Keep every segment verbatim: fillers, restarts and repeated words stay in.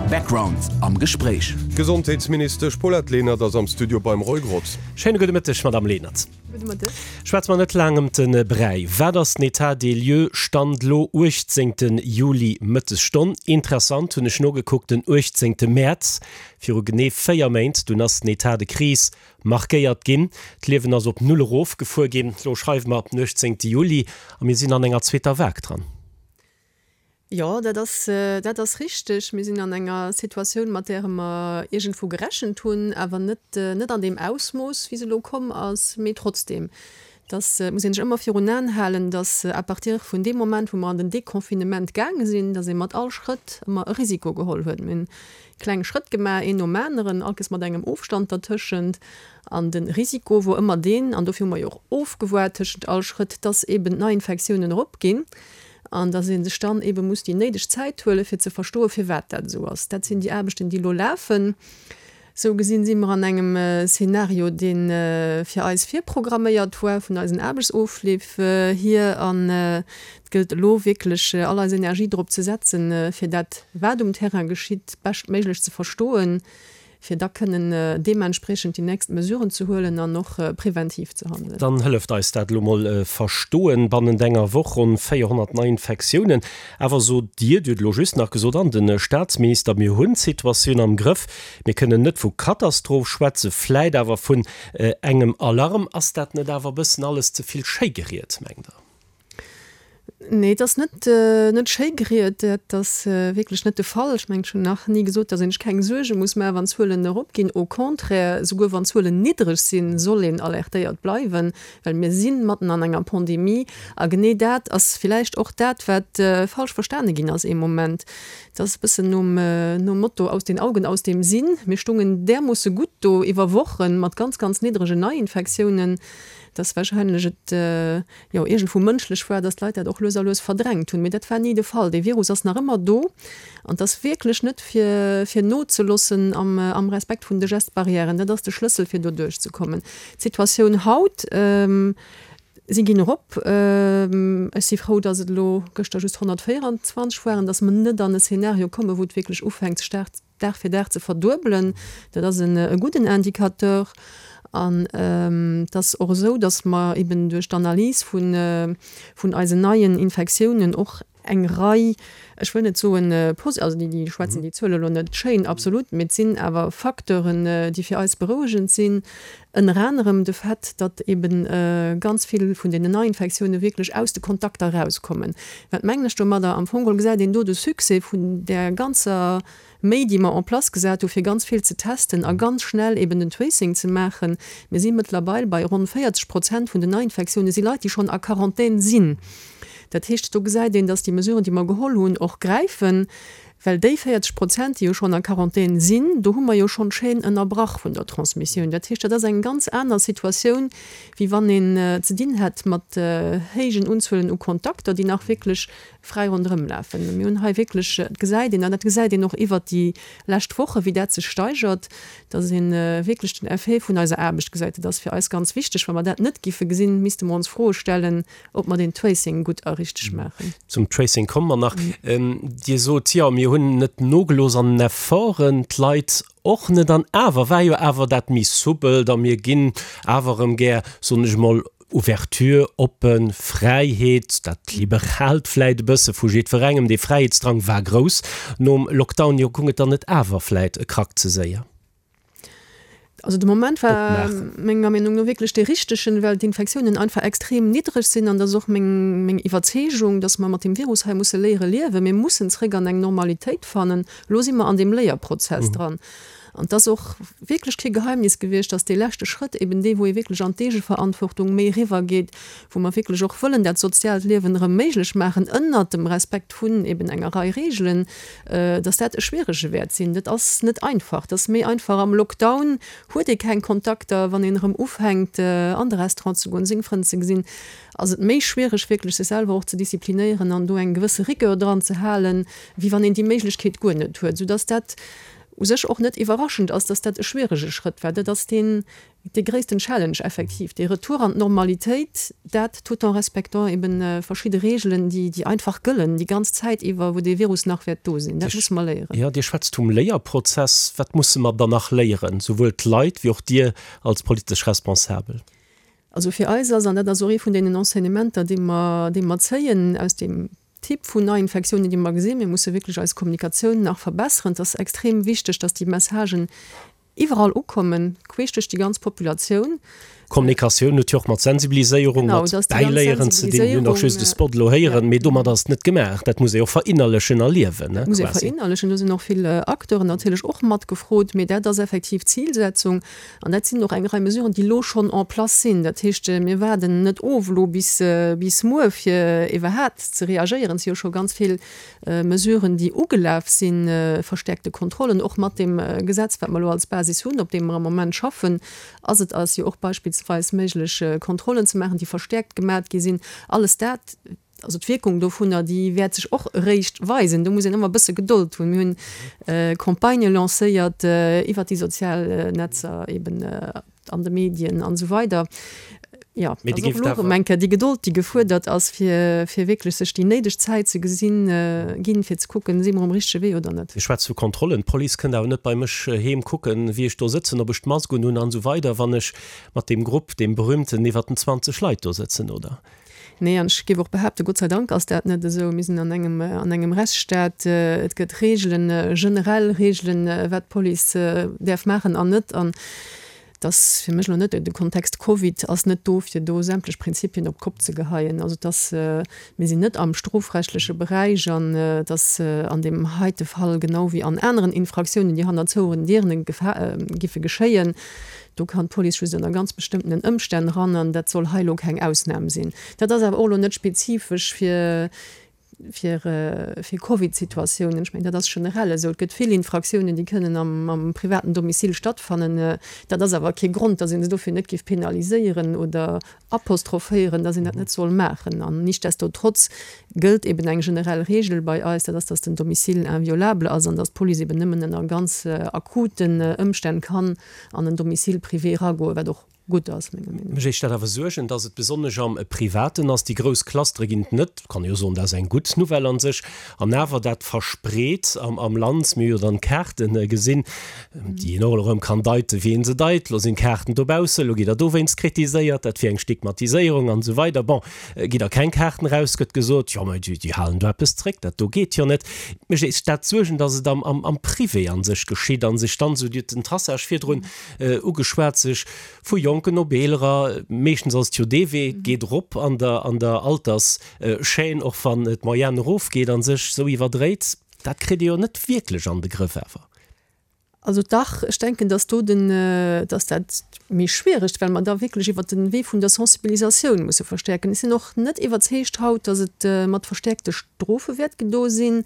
Background am Gespréich. D'Gesondheetsministesch Paulette Lenert ass am Studio beim Roy Grotz. Schéine gudde Mëtteg, Madamm Lenert. Gudde Mëtteg. Schwätze mer net laang ëm de Bräi. Wat ass den État des lieux, Stand lo uechtzéngte Juli Mëttesstonn? Interessant, hunn ech nogekuckt, den uechtzéngte Mäerz, viru genee véier Méint, dunn ass den État de crise markéiert ginn. D'Liewen ass op Null erofgefuer ginn. Lo schreiwe mer den uechtzéngte Juli a mir sinn an enger zweeter Vague dran. Jo, dat ass, dat ass richteg. Mir sinn an enger Situatioun, mat där mer iergendwou gerechent hunn, awer net, net an deem Ausmooss, wéi se elo komm ass. Mee trotzdeem, dass muss ee sech ëmmer virun Aen halen, dass à partir vun deem Moment, wou mer an den Deconfinement gaange sinn, dass ee mat all Schrëtt ëmmer e Risiko geholl huet. Mir hunn kleng Schrëtt gemaach, een nom aneren, all Kéiers mat engem Ofstand dertëschent. An de Risiko wor ëmmer deen, an dofir hu mer jo och ofgewaart tëschent all Schrëtt, dass eeben d'Neiinfektiounen eropginn. An dass ee sech dann eebe muss déi néideg Zäit huelen, fir ze verstoen, firwat dat esou ass. Dat sinn déi Aarbechten, déi elo lafen. Esou gesinn si mer an engem Szenario, dee fir eis virprogramméiert war vun eisen Aarbechtsofleef hier. An et gëllt elo wierklech, all eis Energie drop ze setzen, fir dat, wat um Terrain geschitt, beschtméiglech ze verstoen, fir da kënnen deementspriechend déi nächst Mesuren ze huelen an och preventiv ze handelen. Dann hëlleft eis dat elo mol verstoen. Bannent enger Woch ronn véierhonnert Neiinfektiounen. Awer sot Dir, Dir hutt elo just nach gesot, an de Staatsminister, mir hunn d'Situatioun am Grëff, mir kënnen net vu Katastroph schwätzen, vläit awer vun engem Alarm. Ass dat net awer e bëssen alles ze vill schéi geriet, mengt Der? Nee, et ass net, net schéi geriet. Dat ass wierklech net de Fall. Ech mengen, ech hunn nach ni gesot, datt een sech keng Suerge muss maachen, wann d'Zuelen eropginn. Au contraire, souguer wann d'Zuelen niddreg sinn, soll een alertéiert bleiwen, well mir si matten an enger Pandemie. A genee dat ass villäicht och dat, wat falsch verstane ginn ass ee Moment. Et ass e bëssen nom, nom Motto aus den Augen, aus dem Sinn. Mir stungen därmoosse gutt do iwwer Wochen mat ganz, ganz niddregen Neiinfektiounen, dass wahrscheinlech et jo iergendwou mënschlech war, dass d'Leit dat och lues a lues verdrängt hunn. Mee dat war ni de Fall. Dee Virus ass nach ëmmer do an et ass wierklech net fir, fir nozeloossen am, am Respekt vun de Gest-Barrièren. Dat ass de Schlëssel, fir do duerchzekommen. D'Situatioun haut, si ginn erop. Ech si frou, dass et elo gëschter just honnertvéieranzwanzeg waren, dass mer net an e Szenario kommen, wou et wierklech ufänkt, staark Dag fir Dag ze verduebelen. Dat ass e gudden Indicateur. An et ass och esou, datt mer eben duerch d'Analys vun eisen neien Infektiounen och eng Rei, ech wëll net soen, also déi schwätzen déi Zuele elo net schéin, absolut, mee et sinn awer Facteuren, déi fir eis berouegend sinn, ënner anerem de Fait, datt eben ganz vill vun deenen Neiinfektioune wierklech aus de Kontakter erauskommen. Wat mengen ech domadder? Am Fong geholl gesäit een do de Succès vun där ganzer Méi, déi mer en place gesat hu fir ganz vill ze testen a ganz schnell eben den Tracing ze maachen. Mir si mëttlerweil bei ronn véierzeg Prozent vun den Neiinfektioune si Leit, déi schonn a Quarantän sinn. Dat heescht, do gesäit een, dass déi Mesuren, déi mer geholl hunn, och gräifen, well déi véierzeg Prozent, déi jo schonn a Quarantän sinn, do hu mer jo schonn d'Chaîne ënnerbrach vun der Transmissioun. Dat heescht, dat ass eng ganz aner Situatioun, wéi wann een ze dinn hätt mat héijen Unzuelen u Kontakter, déi nach wierklech fräi ronderëm lafen. Mir hunn hei wierklech, et gesäit een, an dat gesäit een och iwwert déi lescht Woche wéi dat sech steigert, datt ee wierklech den Effet vun eiser Aarbecht gesäit. Dat ass fir eis ganz wichteg. Wa mer dat net giffe gesinn, misste mer ons Froe stellen, ob mer den Tracing gutt a richteg maachen. Zum Tracing komme mer nach. Dir sot, jo, mir hunn net nogelooss an den Efforten, d'Leit och net. An awer war jo awer dat méi soupelt a mir ginn awer erëm gär, soen ech emol, Ouverture, oppen, Fräiheet, dat Liberaalt vläit e bësse vu jiddwerengem, dee Fräiheetsdrang war grouss nom Lockdown. Jo, goung et dann net awer vläit e Krack ze séier? Also de Moment war menger Meenung no wierklech dee richtegen, well d'Infektiounen einfach extrem niddreg sinn. An dat ass och meng, meng Iwwerzeegung, dass mer mat deem Virus hei musse léiere liewen. Mir mussen zréck an eng Normalitéit fannen. Elo si mer an deem Léierprozess dran. An et ass och wierklech kee Geheimnis gewiescht, dass dee leschte Schrëtt eben dee, wou ee wierklech an d'Eegeverantwortung méi eriwwergeet, wou mer wierklech och wëllen dat soziaalt Liewen erëm méiglech maachen, ënnert dem Respekt vun eben enger Rei Reegelen, dass dat e schwierege wäert sinn. Dat ass net einfach. Dat ass méi einfach am Lockdown, huet ee keng Kontakter. Wann een erëm ufänkt, an de Restaurant ze goen, seng Frënn ze gesinn, ass et méi schwiereg, wierklech sech selwer och ze disziplinéieren an do eng gewësse Rigueur dran ze halen, wéi wann een déi Méiglechkeet guer net huet, soudass dat u sech och net iwwerraschend ass, dass dat e schwierege Schrëtt war. Dat ass deen, dee gréissten Challenge effektiv, dee Retour an d'Normalitéit, dat tout en respectant eben verschidde Reegelen, déi, déi einfach gëllen déi ganz Zäit iwwer, wou dee Virus nach wäert do sinn. Dat musse mer léieren. Jo, Dir schwätzt vum Léierprozess. Wat musse mer dann nach léieren, souwuel d'Leit wéi och Dir als politesch Responsabel? Also fir eis ass, an dat ass och ee vun deenen Enseignementer, déi mer, déi mer zéien aus deem Typ vun Neiinfektiounen, déi mer gesinn, mir musse wierklech eis Kommunikatioun nach verbesseren. Et ass extrem wichteg, dass déi Messagen iwwerall ukommen, queesch duerch déi ganz Populatioun. Kommunikatioun huet jo och mat Sensibiliséierung, mat Bäiléieren ze dinn. Mir hunn och just de Spot elo héieren, mee domat ass et net gemaach. Dat muss ee och verinnerlechen a liewen, Dat muss ee verinnerlechen. Do sinn och vill Acteuren natierlech och mat gefrot, mee dat ass effektiv d'Zilsetzung. An dat sinn och eng Rei Mesuren, déi elo schonn en place sinn. Dat heescht, mir waarden net of elo bis, bis muer, fir iwwerhaapt ze reagéieren. Et si jo scho ganz vill Mesuren, déi ugelaf sinn, verstärkte Kontrollen, och mat deem Gesetz, wat mer elo als Basis hunn, op deem mer am Moment schaffen, ass et eis jo och beispillsweis méiglech, Kontrollen ze maachen, déi verstärkt gemat gi sinn. Alles dat, also d'Wierkung dovunner, déi wäert sech och eréischt weisen. Do muss een ëmmer e bësse Gedold hunn. Mir hunn Campagnë lancéiert iwwert déi sozial Netzer eben, an de Medien an esou weider. Jo, Mee ass Dir och géift elo awer. erëm eng Kéier déi Gedold, déi gefuerdert ass, fir, fir wierklech sech déi néideg Zäit ze gesinn, ginn, fir ze kucken, si mer um richtege Wee oder net. Dir schwätzt vu Kontrollen. D'Police kënnt awer net bei mech heem kucken, wéi ech do sëtzen, ob ech d'Mask un hunn an esou weider, wann ech mat deem Grupp, deem berühmten, iwwer den zwanzeg Leit do sëtzen, oder? Nee, an ech géif och behaapten, Gott sei Dank ass dat net esou. Mir sinn an engem, an engem Rechtsstaat. Et gëtt Reegelen, generell Reegelen, wat d'Police däerf maachen an net. An et ass fir mech elo net, de Kontext Covid ass net do, fir do sämtlech Prinzipien op d'Kopp ze geheien. Also et ass, mir sinn net am strofrechtleche Beräich an et ass an deem heite Fall genau wéi an aneren Infraktiounen, déi hanner zouenen Dieren giffe geschéien, Do kann d'Police just ënner ganz bestëmmtenen Ëmstänn ran an dat soll hei elo keng Ausnam sinn. Dat ass awer och elo net spezifesch fir fir fir Covid-Situatiounen. Ech mengen, dat ass generell esou. Et gëtt vill Infraktiounen, déi kënnen am am privaten Domicile stattfannen. Dat ass awer kee Grond, datt ee se dofir net géif penaliséieren oder apostrophéieren, datt een dat net soll maachen. An nichtsdestotrotz gëllt eben eng generell Regel bei eis, dat ass, datt den Domicile inviolable ass an datt d'Police eben nëmmen ënner ganz akuten Ëmstänn kann an en Domicile privé eragoen, wat och gutt ass, menger Meenung no. Mech éischt dat awer Suergen, dass et besonnesch am Privaten ass. Déi grouss Clustere ginn et net, kann ee jo soen, dat ass eng gutt Nouvelle an sech. An awer dat verspreet am am Land, mir hu jo dann d'Kaarte gesinn, déi een och elo erëm kann deiten, wéi ee se deit. Elo sinn d'Kaarten dobaussen, elo gitt Der dowéinst kritiséiert, dat wier eng Stigmatiséierung an esou weider. Bon, gitt Der keng Kaarten eraus, gëtt gesot, jo, mä déi déi halen do eppes zréck, dat do geet jo net. Mech éischt dat Suergen, dass et am am am Privé an sech geschitt a sech dann esou, Dir hutt den Traçage virdrun ugeschwat, sech vu Jonken op Eelerer, meeschtens ass et jo dee Wee, et geet erop an der an der Alterschaîne, och wann d'Moyenne erofgeet a sech esou iwwerdréit. Dat kritt ee jo net wierklech an de Grëff awer. Also dach, ech denken, dass do den, dass dat méi schwiereg, well mer da wierklech iwwert den Wee vun der Sensibilisatioun musse verstärken. Ech sinn och net iwwerzeegt haut, dass et mat verstärkte Strofe wäert gedo sinn,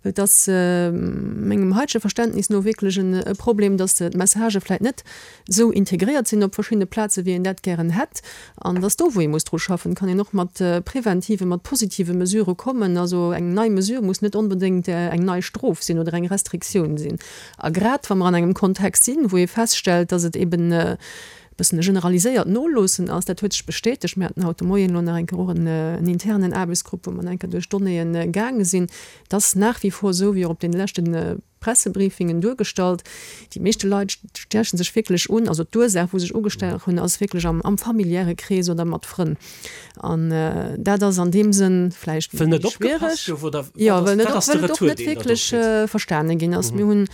well et ass mengem haitege Verständnis no wierklech e Problem, dass d'Messagë vläicht net esou integréiert sinn op verschiddene Plaze wéi een dat gären hätt. An et ass do, wou ee muss dru schaffen. Et kann een och mat preventiven, mat positive Mesurë kommen. Also eng nei Mesure muss net onbedéngt eng nei Strof sinn oder eng Restriktioun sinn. A grad wa mer an engem Kontext sinn, wou ee feststellt, dass et eben e bëssen e generaliséiert Noloossen ass, dat huet sech bestätegt, mir haten haut de Moien elo nach eng Kéier och en internen Aarbechtsgrupp, wou mer nach eng Kéier duerch d'Donnéeën gaange sinn, et ass nach wie vor esou, wéi och op deene leschte Pressebriefingen duergestallt, déi meeschte Leit stechen sech wierklech un, also d'Ursaach, wou sech ugestach hunn, ass wierklech am am familiäre Krees oder mat Frënn. An dat ass an deem Sënn vläicht Well méi net opgepasst schwiereg. gouf, oder Jo, wat ass, well net wat op, ass de well et och Retour, net deen Der do wierklech kritt? verstane ginn ass. Mir hunn,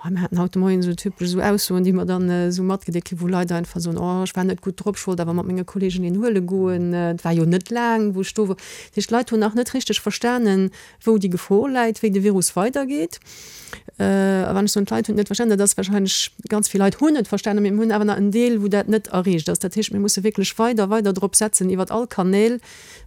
oh, mir haten haut de Moien esou typesch esou Aussoen, déi mer dann esou matgedeelt kritt, wou Leit einfach soen, oh, ech war net gutt drop, ech wollt awer mat menge Kolleegen een huele goen, et war jo net laang, wou ech do wor. Dat heescht, d'Leit hunn nach net richteg verstanen, wou déi Gefor läit, wéi de Virus weidergeet. A wann ech soen, d'Leit hunn et net verstanen, dat ass warscheinlech, ganz vill Leit hunn et verstanen, mee mir hunn awer nach en Deel, wou dat net erreecht ass. Dat heescht, mir musse wierklech weider, weider drop setzen, iwwert all Kanäl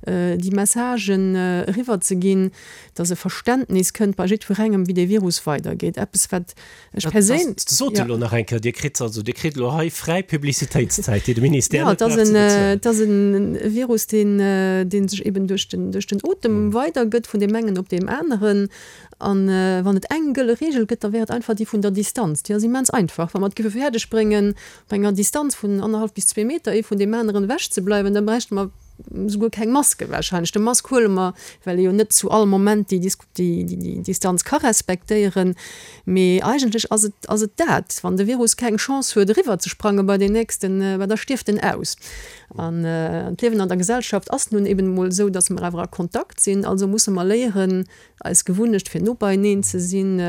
déi Messagen eriwwerzeginn, dass e Verständnis kënnt bei jiddwerengem, wéi dee Virus weidergeet. Eppes, wat ech perséin. Dat sot Der elo nach eng Kéier. Dir kritt also, Dir kritt elo hei fräi Publicitéitszäit, déi de Ministère Jo, net et ass brauch ze en, bezuelen. et ass e Virus, deen, dee sech eben duerch den, duerch den Otem weidergëtt, vun deem engen op deem aneren. An wann et eng gëlle Reegel gëtt, da wär et einfach déi vun der Distanz. Déi ass immens einfach. Wa mer et géife fäerdeg bréngen, op enger Distanz vun annerhallef bis zwee Meter ee vun deem aneren ewech ze bleiwen, da bräichte mer souguer keng Maske wahrscheinlech. De Mask huele mer, well ee jo net zu all Moment déi déi Distanz ka respektéieren. Mee eigentlech ass et ass et dat, wann de Virus keng Chance huet eriwwer ze sprange bei deen nächsten, bah da stierft en aus. An d'Liewen an der Gesellschaft ass nun eben emol esou, datt mer awer a Kontakt sinn. Also musse mer léieren, eis Gewunnecht fir no beieneen ze sinn,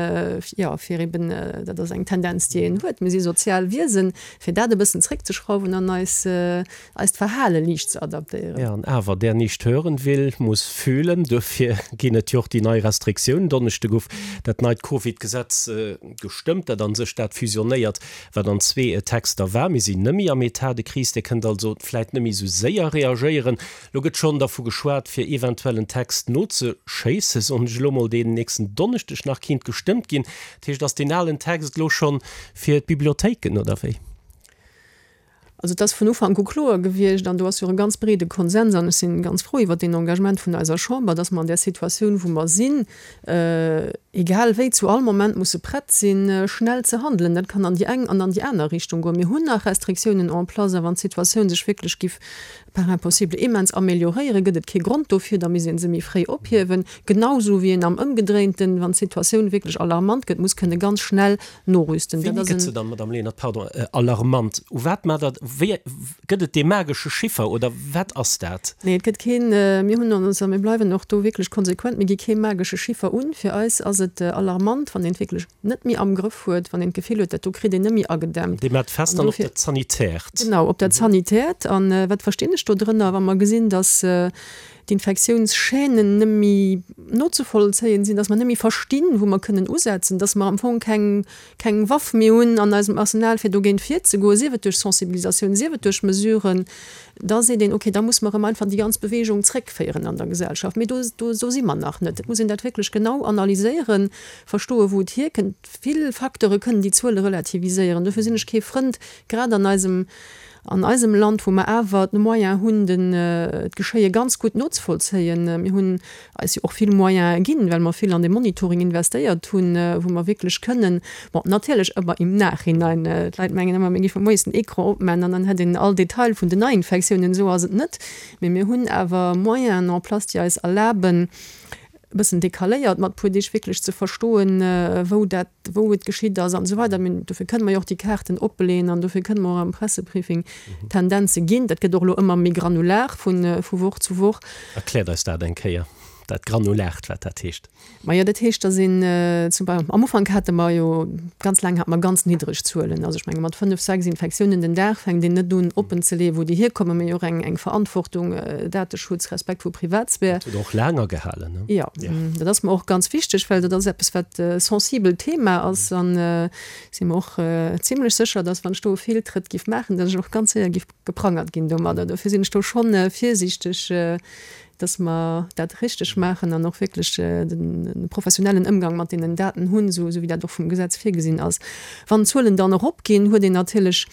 jo, fir eben, dat ass eng Tendenz, déi een huet, mir si sozial Wiesen, fir dat e bëssen zréckzeschrauwen an eis, eist Verhale liicht ze adaptéieren. Jo, an awer, Der nicht hören will, muss fühlen. Dofir ginn et jo och déi nei Restriktiounen. Donneschde gouf dat neit Covid-Gesetz gestëmmt, dat a sech dat fusionéiert, wat an zwee Texter war. Mir sinn net méi am État de crise. Dir kënnt also vläicht net méi esou séier reagéieren. Lo gëtt schonn dervu geschwat, fir eventuell en Text nozeschéissen, soen ech elo mol, deen nächsten Donneschdeg nach kinnt gestëmmt ginn. Dat heescht, ass deen alen Text elo schonn fir d'Bibliothéiken, oder wéi? Also et ass vun Ufank u kloer gewiescht, an do ass jo och e ganz breede Konsens, an ech si ganz frou iwwert deen Engagement vun eiser Chamber, dass mer an där Situatioun, wou mer sinn, egal wéi, zu all Moment musse prett sinn, schnell ze handelen. Dat kann an déi eng an an déi aner Richtung goen. Mir hunn nach Restriktiounen en place, a wann d'Situatioun sech wierklech giff par impossible immens amélioréieren, gëtt et kee Grond dofir, da misst ee se méi fréi ophiewen. Genausou wéi een am Ëmgedréinten, wann d'Situatioun wierklech alarmant gëtt, muss kënne ganz schnell norüsten. Wéini gëtt se dann, Madame Lenert, pardon, alarmant? U wat maacht Der, wéi, gëtt et dee magesche Chiffer oder wat ass dat? Nee, et gëtt keen, mir hunn ons, a mir bleiwen och do wierklech konsequent, mir gi kee magesche Chiffer un. Fir eis ass et alarmant, wann een et wierklech net méi am Grëff huet, wann een d'Gefill huet, dat do kritt een net méi agedämmt. Dir maacht fest dann op dat Sanitärt. Genau, op dat Sanitärt. A wat verstinn ech do drënner, wa mer gesinn, dass d'Infektiounschaînen net méi nozevollzéien sinn, dass mer net méi verstinn, wou mer kënnen usetzen, dass mer am Fong keng, keng Waff méi hunn an eisem Arsenal, fir dogéint virzegoen, sief et duerch Sensibilisatioun, sief et duerch Mesuren, da seet een, okay, da muss mer erëm einfach déi ganz Bewegung zréckféieren an der Gesellschaft. Mee do, do, do si mer nach net. Et muss een dat wierklech genau analyséieren, verstoen, wou et hierkënnt. Vill Facteure kënnen déi Zuele relativiséieren. Dofir sinn ech kee Frënd, grad an eisem, an eisem Land, wou mer awer d'Moyens hunn, den, d'Geschéie ganz gutt nozevollzéien. Mir hunn eis jo och vill Moyene ginn, well mer vill an de Monitoring investéiert hunn, wou mer wierklech kënnen, bon, natierlech ëmmer im Nachhinein, d'Leit mengen ëmmer, mir géife moies den Ecran opmachen an dann hätt een all Detail vun den Neiinfektiounen. Esou ass et net. Mee mir hunn awer Moyenen en place, déi eis erlaben, e bëssen decaléiert mat puer Deeg wierklech ze verstoen, wou dat, wou et geschitt ass an esou weider. Mir, dofir kënne mer jo och déi Kaarten opbeleeën an dofir kënne mer och am Pressebriefing Tendenze ginn. Dat gëtt och elo ëmmer méi granular vu vu Woch zu Woch. Erkläert eis dat eng Kéier, dat Granulart, wat dat heescht. Majo, dat heescht, dass een zum Bei am Ufank hate mer jo ganz laang hate mer ganz niddreg Zuelen. Also ech menge mat fënnef, sechs Infektiounen den Dag fänkt een net un oppenzeleeën, wou déi hierkommen. Mir hu jo och eng eng Verantwortung, Dateschutz, Respekt vu Privatsphär. Dat huet och laang agehalen, ne? Jo, dat ass mer och ganz wichteg, well dat ass eppes, wat e sensibelt Thema ass. An si mer och zimlech sécher, dass wann ech do e Feeltrëtt giff maachen, dass ech och ganz séier giff geprangert ginn domadder. Dofir sinn ech do schonn virsiichteg, dass mer dat richteg maachen an och wierklech de professionellen Ëmgang mat deenen Daten hunn, esou wéi dat och vum Gesetz virgesinn ass. Wann d'Zuelen dann eropginn, huet een natierlech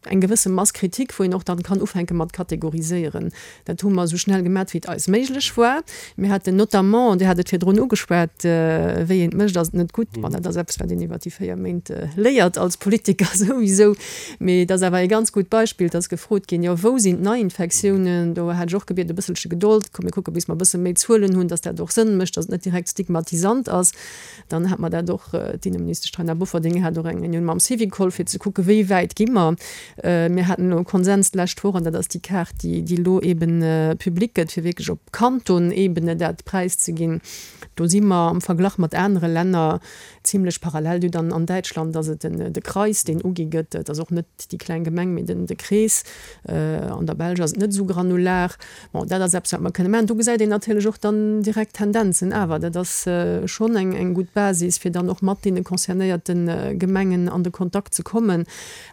eng gewësse Mass Kritik, wou een och dann kann ufänke mat kategoriséieren. Dat hu mer esou schnell gemat, wéi et eis méiglech war. Mir haten notamment, Dir hat et virdrun ugeschwat, wéi een et mécht, ass et net gutt. Bon, dat ass eppes, wat een iwwert déi véier Méint léiert als Politiker souwisou. Mee et ass awer ee ganz gutt Beispill, et ass gefrot ginn, jo, wou sinn d'Neiinfektiounen? Do hat ech och gebiet, e bësselche Gedold, komm mir kucke bis mer e bësse méi Zuelen hunn, datt dat och Sënn mécht, datt et net direkt stigmatisant ass. Dann hat mer dat och, d'Inneministesch Taina Bofferding hat och eng Reunioun mam Syvicol, fir ze kucke wéi wäit gi mer. Mir haten elo e Konsens d'lescht Woch, an dat ass déi Kaart, déi déi elo eeben public gëtt, fir wierklech op Kantonebene dat präiszeginn. Do si mer am Verglach mat anere Länner zimlech parallel. Dir hutt an Däitschland ass et den de Kreis, deen ugi gëtt. Et ass och net déi kleng Gemeng, mee den de Krees. An der Belsch ass et net esou granular. Bon, dat ass eppes, wat mer kënne maachen. Do gesäit een natierlech och dann direkt Tendenzen. Awer dat ass schonn eng eng gutt Basis, fir dann och mat deene concernéierte Gemengen an de Kontakt ze kommen.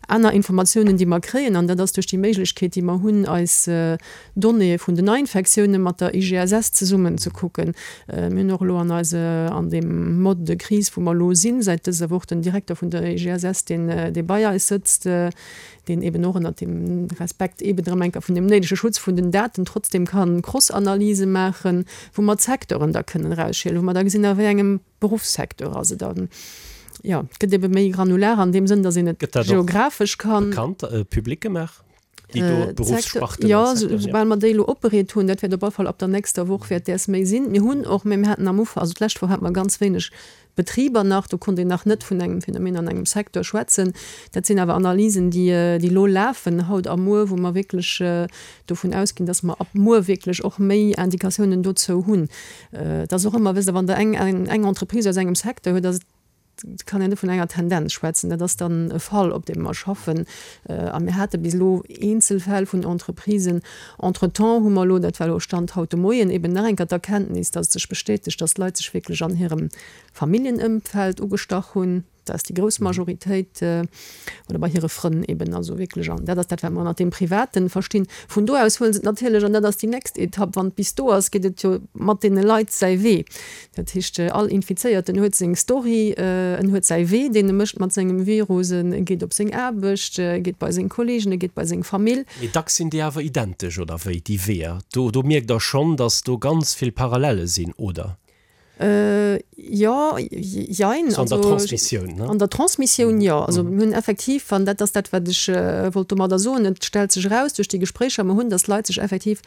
Aner Informatiounen, Informatioun, déi mer kréien, an dat ass duerch déi Méiglechkeet, déi mer hunn, eis Donnéeë vun den Neiinfektiounen mat der I G S S zesummen ze kucken. Mir hunn och elo an eise, an deem Mode de crise, wou mer elo sinn, säit dëser Woch den Direkter vun der I G S S, deen, dee bei eis sëtzt, deen eben och ënnert dem Respekt eben erëm eng Kéier vun dem néidege Schutz vun den Daten trotzdem kann Cross-Analyse maachen, wou mer d'Secteuren da kënnen erausschielen, wou mer da gesinn, a wéi engem Beruffssecteur ass et dann. Jo, et gëtt ebe méi granular an deem Sënn, datt een et Gëtt dat och geographesch kann. bekannt, public gemaach, déi do Äh, Beruffssparten Jo, an Secteuren, ja. soubal mer déi elo opbereet hunn, dat wäert op alle Fall ab der nächster Woch wäert däers méi sinn. Mir hunn och, mä mir haten am Ufank, also d'lescht Woch hate mer ganz wéineg Betriber nach, do konnt een nach net vun engem Phänomen an engem Secteur schwätzen. Dat sinn awer Analysen, déi, déi elo lafen, haut a muer, wou mer wierklech dovun ausginn, dass mer ab muer wierklech och méi Indikatiounen dozou hunn. Et ass och ëmmer, wësst Der, wann Der eng, eng Entreprise aus engem Secteur hutt, ass et, kann een net vun enger Tendenz schwätzen. Dat ass dann e Fall, op deem mer schaffen. A mir hate bis elo eenzel Fäll vun Entreprisen. Entretemps hu mer elo, dat war elo Stand haut de Moien, eben nach eng Kéier d'Erkenntnis, dass et sech bestätegt, dass d'Leit sech wierklech an hirem Familljenëmfeld ugestach hunn. Dat ass déi grouss Majoritéit, oder bei hire Frënn eben, also wierklech. An dat ass dat, wat mer ënnert deem Privaten verstinn. Vun do aus huele se et natierlech, an dat ass déi nächst Etapp, wann et bis do ass, geet et jo mat deene Leit säi Wee. Dat heescht, all Infizéierten huet seng Story, en huet säi Wee, deen e mécht mat sengem Virus, en geet op seng Aarbecht, e geet bei seng Kolleegen, e geet bei seng Famill. Mee dacks sinn déi awer identesch, oder wéi, déi Weeër? Do, do mierkt Der schonn, datt do ganz vill Parallelle sinn, oder? Jo, jein. So an der Transmissioun, ne? An der Transmissioun, jo. Also mir hunn effektiv, an dat ass dat, wat ech wollt domadder soen, et stellt sech eraus duerch déi Gespréicher mer hunn, datt d'Leit sech effektiv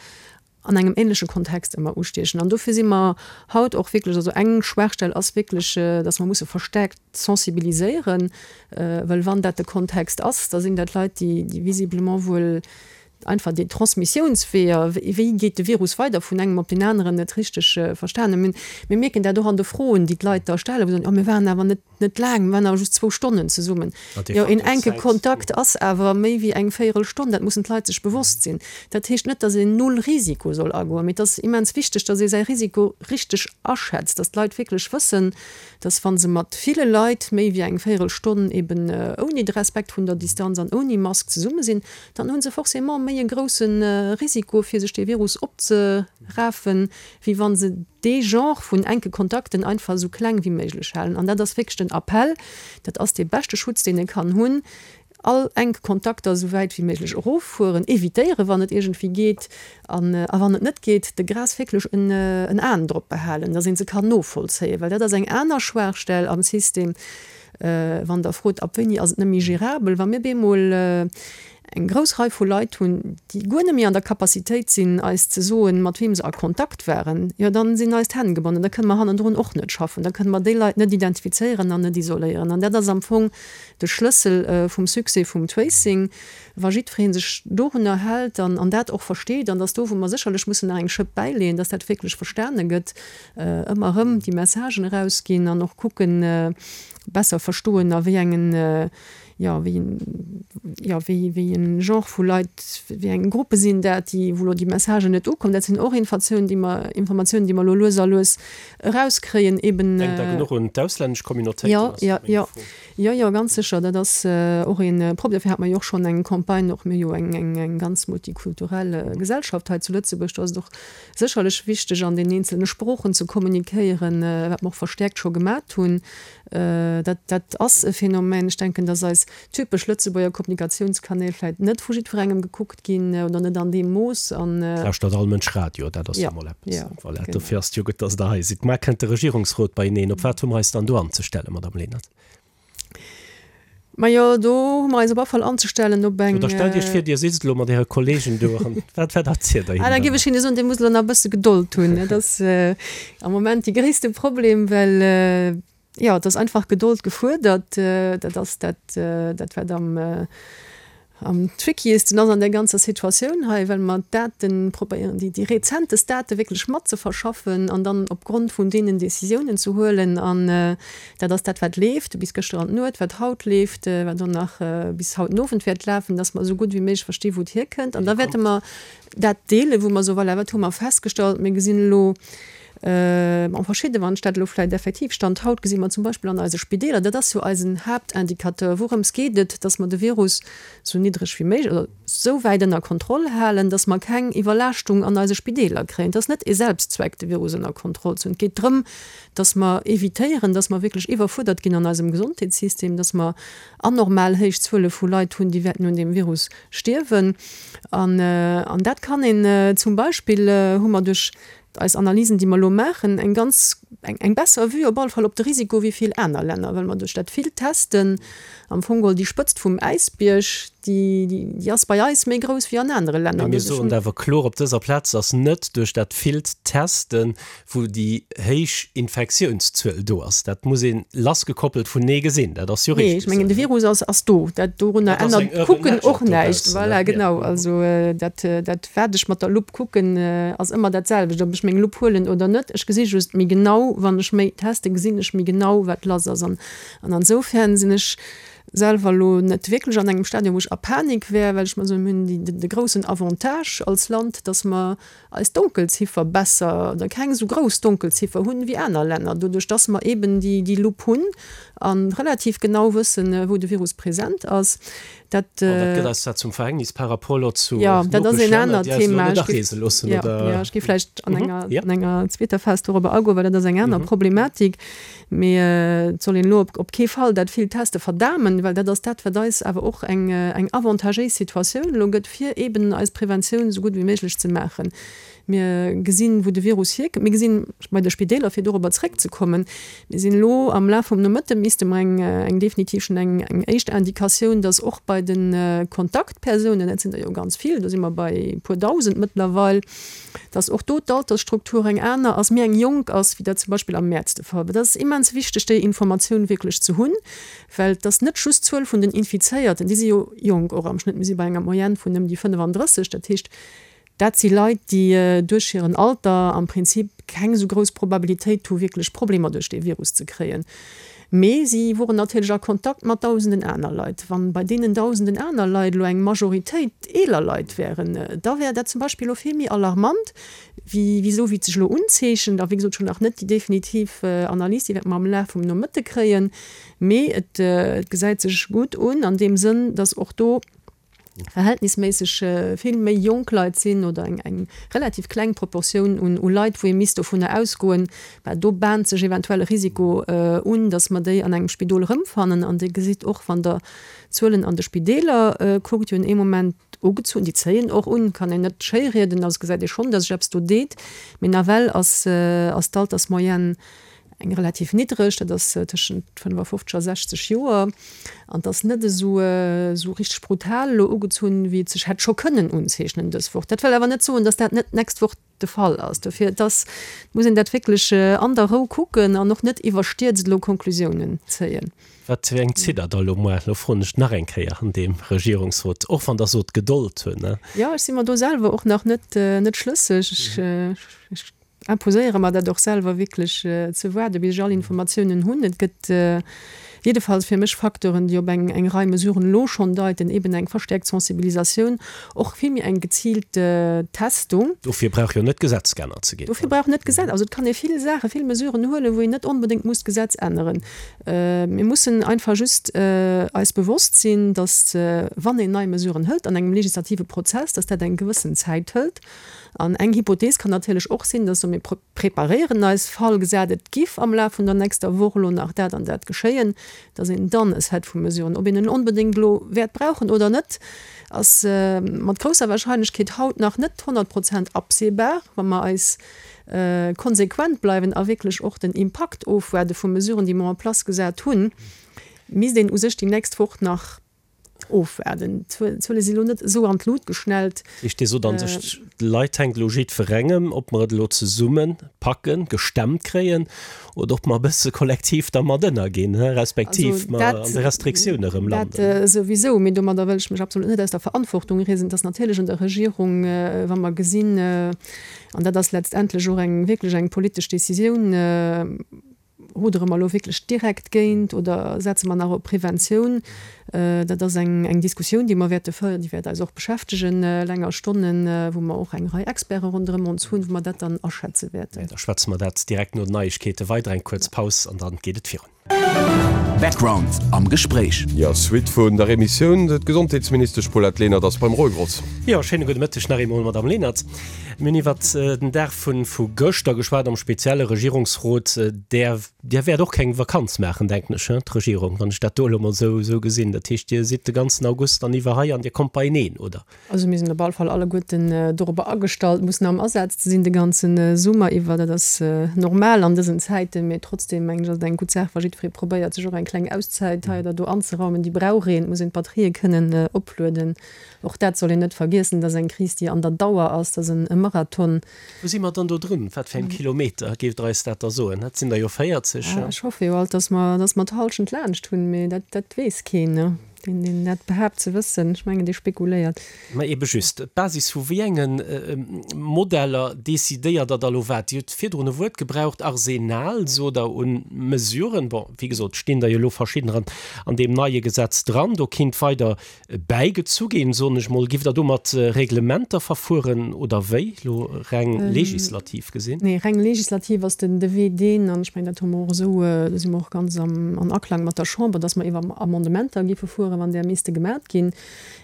an engem ähnleche Kontext ëmmer ustiechen. An dofir si mer haut och wierklech, also eng Schwaachstell ass wierklech, datt mer musse verstärkt sensibiliséieren, well wann dat de Kontext ass, da sinn dat Leit, déi visiblement wuel einfach déi Transmissiounsweeër, wéi geet de Virus weider vun engem op deen aneren, net richteg verstanen hunn. Mir mierken dat och an de Froen, déi d'Leit da stellen, wou se soen, oh mir waren awer net, net laang, mir waren awer just zwou Stonnen zesummen. Jo, een enke Kontakt ass awer méi wéi eng Véierelstonn, dat mussen d'Leit sech bewosst sinn. Dat heescht net, datt een null Risiko soll agoen, mee et ass immens wichteg, datt ee säi Risiko richteg aschätzt, datt d'Leit wierklech wëssen, datt wa se mat ville Leit méi wéi eng Véierelstonn eben ouni de Respekt vun der Distanz an ouni Mask zesumme sinn, dann hu se forcément méi e grousse Risiko, fir sech dee Virus opzerafen, wéi wa se dee Genre vun enke Kontakten einfach esou kleng wéi méiglech halen. An dat ass wierklech den Appell, dat ass dee beschte Schutz, deen ee kann hunn, all enk Kontakter esou wäit wéi méiglech eroffueren, evitéieren, wann et iergendwéi geet, an a wann et net geet, de Grâce wierklech en en Aen drop behalen, dass ee se kann novollzéien, well dat ass eng aner Schwaachstell am System, wann Der frot, ab wéini ass et net méi gérabel, wa mir bemol eng grouss Rei vu Leit hunn, déi guer net méi an der Capacitéit sinn, eis ze soen, mat weem se a Kontakt waren, jo dann sinn eis d'Hänn gebonnen, da kënne mer hannendrun och net schaffen, da kënne mer déi Leit net identifizéieren an net isoléieren. An dat ass am Fong de Schlëssel vum Succès vum Tracing, wa jiddweree sech dorunner hält an an dat och versteet, an dass do, wou mer sécherlech mussen nach eng Schëpp bäileeën, dass dat wierklech verstane gëtt, ëmmer erëm déi Messagen erausginn an och kucken, besser verstoen, a wéi engen, jo, wéi en, jo, wéi, wéi en Genre vu Leit, wéi eng Gruppe sinn dat, déi, wou elo déi Messagen net ukommen. Dat sinn och Informatiounen, déi mer, Informatiounen, déi mer elo lues a lues erauskréien, eben. Denkt Der genuch un d'auslännesch Communautéiten? Jo, jo, jo. Jo, jo, ganz sécher. Dat ass och een Problem. Dofir hate mer jo och schonn eng Campagne, och mir hu jo eng, eng, eng ganz multikulturell Gesellschaft hei zu Lëtzebuerg. Do ass et och sécherlech wichteg, an den eenzelne Sproochen ze kommunikéieren, wat mer och verstäerkt scho gemat hunn. Dat, dat ass e Phänomen. Ech denken, dass eis typesch Lëtzebuerger Kommunikatiounskanäl vläicht net vu jiddwerengem gekuckt ginn oder net an deem Mooss. An. Lauschtert all Mënsch Radio, dat ass jo mol eppes. Voilà, dofir ass et jo gutt, dass Der hei sidd. Mar kënnt de Regierungsrot beieneen. Op wat hu mer eis dann do anzestellen, Madame Lenert? Majo, do hu mer eis op alle Fall anzestellen op eng. Oder stellt Iech vir, Dir sitzt elo mat Äre Kollegen do an wat, wat erzielt Der hinnen Ah, da dann? géif ech hinne soen, Dir musst elo nach e bësse Gedold hunn. Dat ass am Moment dee gréisste Problem, well, jo, et ass einfach Gedold gefuerdert. Dat ass dat, dat wat am, am trickieste ass an där ganzer Situatioun hei, well mer d'Daten probéieren, déi, déi rezentest Date wierklech mat ze verschaffen an dann opgrond vun deenen Décisiounen ze huelen. An dat ass dat, wat leeft bis gëschter an d'Nuet, wat haut leeft, wat och nach bis haut den Owend wäert lafen, dass mer esou gutt wéi méiglech versti wou et hierkënnt. An da wäerte mer dat deelen, wou mer soen, voilà, wat hu mer festgestallt? Mir gesinn elo, Bon, verschidde, wann ech dat elo vläicht effektiv Stand haut gesi mer zum Beispill an eise Spideeler, dat ass jo eisen Haaptindicateur, wourëms geet et, dass mer de Virus esou niddreg wéi méiglech oder esou wäit ënner Kontroll halen, dass mer keng Iwwerlaaschtung an eise Spideeler kréien. Et ass net ee Selbstzweck, de Virus ënner Kontroll ze hunn. Et geet drëm, dass mer evitéieren, dass mer wierklech iwwerfuerdert ginn an eisem Gesondheetssystem, dass mer anormal héich Zuele vu Leit hunn, déi wäerten un deem Virus stierwen. An, an dat kann een zum Beispill, hu mer duerch eis Analysen, déi mer elo maachen, eng ganz, eng, eng besser Vue op alle Fall op de Risiko wéi vill aner Länner, well mer duerch dat villt Testen am Fong geholl déi Spëtzt vum Äisbierg, déi, déi, déi ass bei eis méi grouss wéi an anere Länner. Mee mir soen awer kloer op dëser Plaz, dass net duerch dat villt Testen, wou déi héich Infektiounszuel do ass. Dat muss ee lassgekoppelt vunee gesinn. Dat ass jo Nee, richteg ech mengen, esou, de ne? Virus ass, ass do. Dat, dorunner Dat ass ännert eng urban d'Kucken legend och näischt. dobaussen, Voilà, ne? genau. Ja. Also dat, dat wat ech mat der Lupp kucken, ass ëmmer dat selwecht, ob ech meng Lupp huelen oder net. Ech gesi just méi genau, wann ech méi teste, gesinn ech méi genau, wat lass ass. An, an ansoufern sinn ech selwer elo net wierklech an engem Stadium, wou ech a Panik wär, well ech mer soen, mir hunn déi, de groussen Avantage als Land, dass mer eis Donkelziffer besser oder keng esou grouss Donkelziffer hunn wéi aner Länner, doduerch dass mer eben déi, déi Lupp hunn a relativ genau wëssen, wou de Virus present ass. Dat, An dat gëtt eis zwar zum Verhängnis par rapport elo zu jo, dat ass een Nopeschlänner, anert déi eis elo Thema. net Ech géif, areese loossen, jo, oder? jo, ech géif vläicht an Mhm, enger, jo. an enger zweeter Phas dorobber agoen, well dat ass eng aner Mhm. Problematik. Mee et soll een elo op, op kee Fall dat villt Teste verdamen, well dat ass dat, wat eis awer och eng, eng avantagéis Situatioun elo gëtt, fir eben eis Preventioun esou gutt wéi méiglech ze maachen. Mir gesinn, wou de Virus hierkënnt. Mir gesinn bei de Spideeler, fir dorobber zréckzekommen, mir sinn elo am Laf vum Nomëtte misste mer eng, eng definitiv schonn eng, eng éischt Indikatioun, dass och bei de Kontaktpersounen, dat sinn der jo ganz vill, do si mer bei e puer Dausend mëttlerweil, dass och do d'Altersstruktur eng aner ass, méi eng jonk ass, wéi dat zum Beispill am Mäerz de Fall war. Dat ass immens wichteg, déi Informatioun wierklech ze hunn, well et ass net just d'Zuel vun den Infizéierten, déi si jo jonk och am Schnëtt, mir si bei enger Moyenne vun ëm déi fënnefandrësseg, dat heescht, Dat si Leit, déi duerch hiren Alter am Prinzip keng esou grouss Probabilitéit hu wierklech Problemer duerch dee Virus ze kréien. Mee si woren natierlech a Kontakt mat dausenden aner Leit. Wann bei deenen dausenden aner Leit elo eng Majoritéit eeler Leit wären, da wär dat zum Beispill elo vill méi alarmant wéi wéi esou wéi et sech elo unzeechent. A wéi gesot, ech hunn nach net déi definitiv Analys, déi wäerte mer am Laf vum Nomëtte kréien. Mee et gesäit sech gutt un an deem Sënn, datt och do verhältnisméisseg vill méi jonk Leit sinn oder eng eng relativ kleng Proportioun un u Leit, wou ee misst dovunner ausgoen, well do bahnt sech eventuell e Risiko un, datt mer déi an engem Spidol erëmfannen. An Dir gesitt och, wann Der d'Zuelen an de Spideeler kuckt, déi hunn ee Moment ugezunn, déi zéien och un, kann een net schéirieden, also gesäit ee schonn, datt sech eppes do deet, mee nawell ass ass d'Altersmoyenne eng relativ niddreg, dat ass tëschent fënnefafofzeg a sechzeg Joer, an et ass net esou esou richteg brutal elo ugezunn, wéi et sech hätt scho kënnen unzeechnen dës Woch. Dat wëll awer net soen, datt dat net d'nächst Woch de Fall ass. Dofir, et ass, muss een dat wierklech an der Rou kucken an och net iwwerstierzt elo Konklusiounen zéien. Wat fir eng zitt Der da elo muer? Elo froen ech nach eng Kéier an deem Regierungsrot, och wann Der sot Gedold hunn, ne? Jo, ech si mer do selwer och nach net net schlësseg. Ech imposéiere mer dat och selwer wierklech ze waarde bis ech all Informatiounen hunn. Et gëtt jiddefalls fir mech Facteuren, déi op eng eng Rei Mesuren elo schonn deiten, eben eng verstäerkt Sensibilisatioun, och vill méi eng geziilt Testung. Dofir brauch jo net d'Gesetz geännert ze ginn. Dofir brauch net d'Gesetz, also et kann ee vill Saachen, vill Mesuren huelen, wou een net onbedéngt muss d'Gesetz änneren. Mir mussen einfach just eis bewosst sinn, datt wann een nei Mesuren hëlt an engem legislative Prozess, datt dat eng gewëssen Zäit hëlt. An eng Hypothees kann natierlech och sinn, dass mir preparéieren eis, Fall gesat et giff am Laf vun der nächster Woch elo nach dat an dat geschéien, dass een dann e Set vu Mesuren, ob een en onbedéngt elo wäert brauchen oder net, ass mat grousser Wahrscheinlechkeet haut nach net honnert Prozent absehbar, wa mer eis konsequent bleiwen a wierklech och den Impakt ofwaarde vu Mesuren, déi mer en place gesat hunn, misst een u sech déi nächst Woch nach ofwaarden. D'Zuele si lo net esou an d'Lut geschnellt. Heescht, Dir sot an sech, d'Leit hänkt elo jiddwerengem, ob mer et elo zesumme packen, gestemmt kréien oder ob mer e bësse kollektiv da mat ënnerginn, respektiv mer an de Restriktioune erëm landen. Dat souwisou, mee domadder wëll ech mech absolut net aus der Verantwortung riesen. Et ass natierlech un der Regierung, wa mer gesinn, an dat ass letztendlech och eng wierklech eng politesch Décisioun, Rudere mer elo wierklech direkt géint oder setze mer nach op Preventioun? Dat ass eng, eng Diskussioun, déi mer wäerte féieren, déi wäert eis och beschäftegen länger Stonnen, wou mer och eng Rei Experte ronderëm ons hunn, wou mer dat dann aschätze wäerten. Da schwätze mer dat direkt no den Neiegkeete weider. Eng kuerz Paus an dann geet et virun. Background am Gespréich. Jo, Suite vun der Emissioun, D'Gesondheetsministesch Paulette Lenert ass beim Roy Grotz. Jo, schéine gudde Mëtteg nach eemol, Madamm Lenert. Mir hunn iwwert den Dag vu vu gëschter geschwat, am spezielle Regierungsrot. Där, Dir wäert och keng Vakanz maachen, denken ech, hein, d'Regierung, wann ech dat do elo mol esou esou gesinn. Dat heescht, Dir sidd de ganzen August dann iwwer hei an Dir kommt beieneen, oder? Also mir sinn op all Fall alleguerten dorobber agestallt, mussen am Asaz ze sinn de ganze Summer iwwer. Dat ass normal an dësen Zäiten, mee trotzdeem mengen ech, ass et eng gutt Saach, wa jiddweree probéiert, sech och eng kleng Auszäit hei oder do anzeraumen. Déi brauch een, et muss een d'Batterië kënnen oplueden. Och dat soll een net vergiessen, dat ass eng Kris, déi an der Dauer ass, dat ass e Marathon. Wou si mer dann do drun? Wat fir engem Kilometer géift Der eis dat da soen? Dat sinn der jo véierzeg. Ech hoffe jo alt, dass mer, dass mer d'Hallschent laanscht hunn, mee dat, dat weess keen. Deen, deen dat behaapt ze wëssen, ech mengen, dee spekuléiert. Mä ebe just, op Basis vu wéi enge Modeller decidéiert Der da lo wat? Dir hutt virdrun e Wuert gebraucht, Arsenal, sot Der, un Mesuren. Bon, wéi gesot, stinn der jo elo verschiddener an deem neie Gesetz dran. Do kinnt weider bäigezu ginn, soen ech mol. Giff Der do mat Reglementer verfueren oder wéi, elo reng legislativ gesinn? Nee, reng legislativ ass den de Wee deen, an ech mengen, dat hu mer och esou, do si mer och ganz am an Aklang mat der Chamber, dass mer iwwer Amendementer giffe fueren, wann där misste gemat ginn.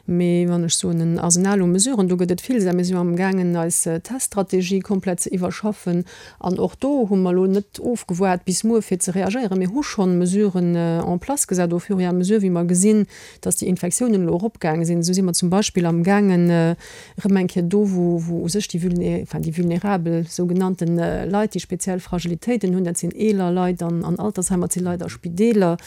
Mee wann ech soen en Arsenal u Mesuren, do gëtt et vill. Mir si jo amgaangen, eis Teststrategie komplett ze iwwerschaffen. An och do hu mer elo net ofgewaart bis muer, fir ze reagéieren. Mir hu schonn Mesuren en place gesat au fur et à mesure, wéi mer gesinn, dass déi Infektiounen elo eropgaange sinn. Esou si mer zum Beispill amgaangen, erëm eng Kéier do, wou, wou u sech déi vulné, enfin déi vulnerabel sougenannten Leit, déi speziell Fragilitéiten hunn, dat sinn eeler Leit an, an Altersheimer, dat si Leit a Spideeler,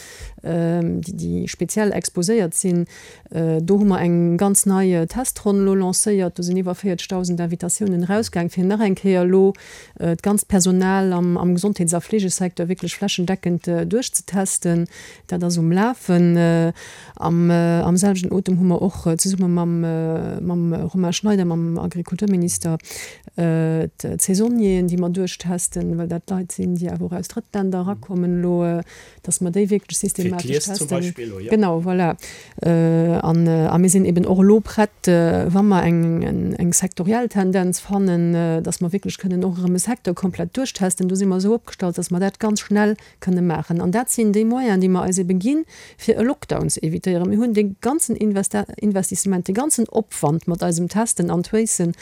déi, déi speziell exposéiert sinn, do hu mer eng ganz nei Testronn elo lancéiert. Do sinn iwwer véierzegdausend Invitatiounen erausgaang, fir nach eng Kéier elo d'ganzt Personal am, am Gesondheets a Fleegesecteur wierklech flächendeckend duerchzetesten. Dat ass um Lafen. Am, am selwechten Otem hu mer och zesumme mam, mam Romain Schneider, mam Agrikulturminister, d'Saisonnieren, déi mer duerchtesten, well dat Leit sinn, déi awer och aus Drëttländer erakommen elo, dass mer déi wierklech systematesch testen. Genau, voilà. An, a mir sinn eben och elo prett, wa mer eng, eng sektoriell Tendenz fannen, dass mer wierklech kënnen och erëm e Secteur komplett duerchtesten. Do si mer esou opgestallt, dass mer dat ganz schnell kënne maachen. An dat sinn déi Moyenen, déi mer eis ebe ginn, fir e Lockdown ze evitéieren. Mir hunn dee ganzen Investissement, dee ganzen Opwand mat eisem Testen an Tracen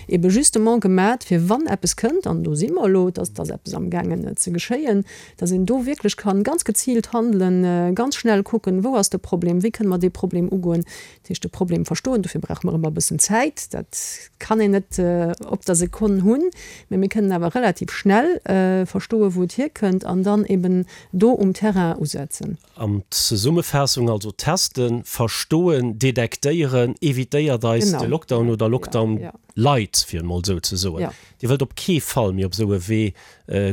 ebe justement gemat, fir wann eppes kënnt, an do si mer elo, dass et ass eppes amgaangen ze geschéien, dass een do wierklech kann ganz geziilt handelen, ganz schnell kucken, wou ass de Problem, wéi kënne mer dee Problem ugoen. Dat heescht, de Problem verstoen, dofir brauche mer ëmmer e bëssen Zäit, dat kann een net op der Sekonn hunn, mä mir kënnen awer relativ schnell verstoen, wou et hierkënnt an dann eben do um Terrain usetzen. An Zesummefaassung also, testen, verstoen, detektéieren, evitéiert eis de Lockdown oder Lockdown light, fir et mol esou ze soen. Dir wëllt op kee Fall méi op esou e Wee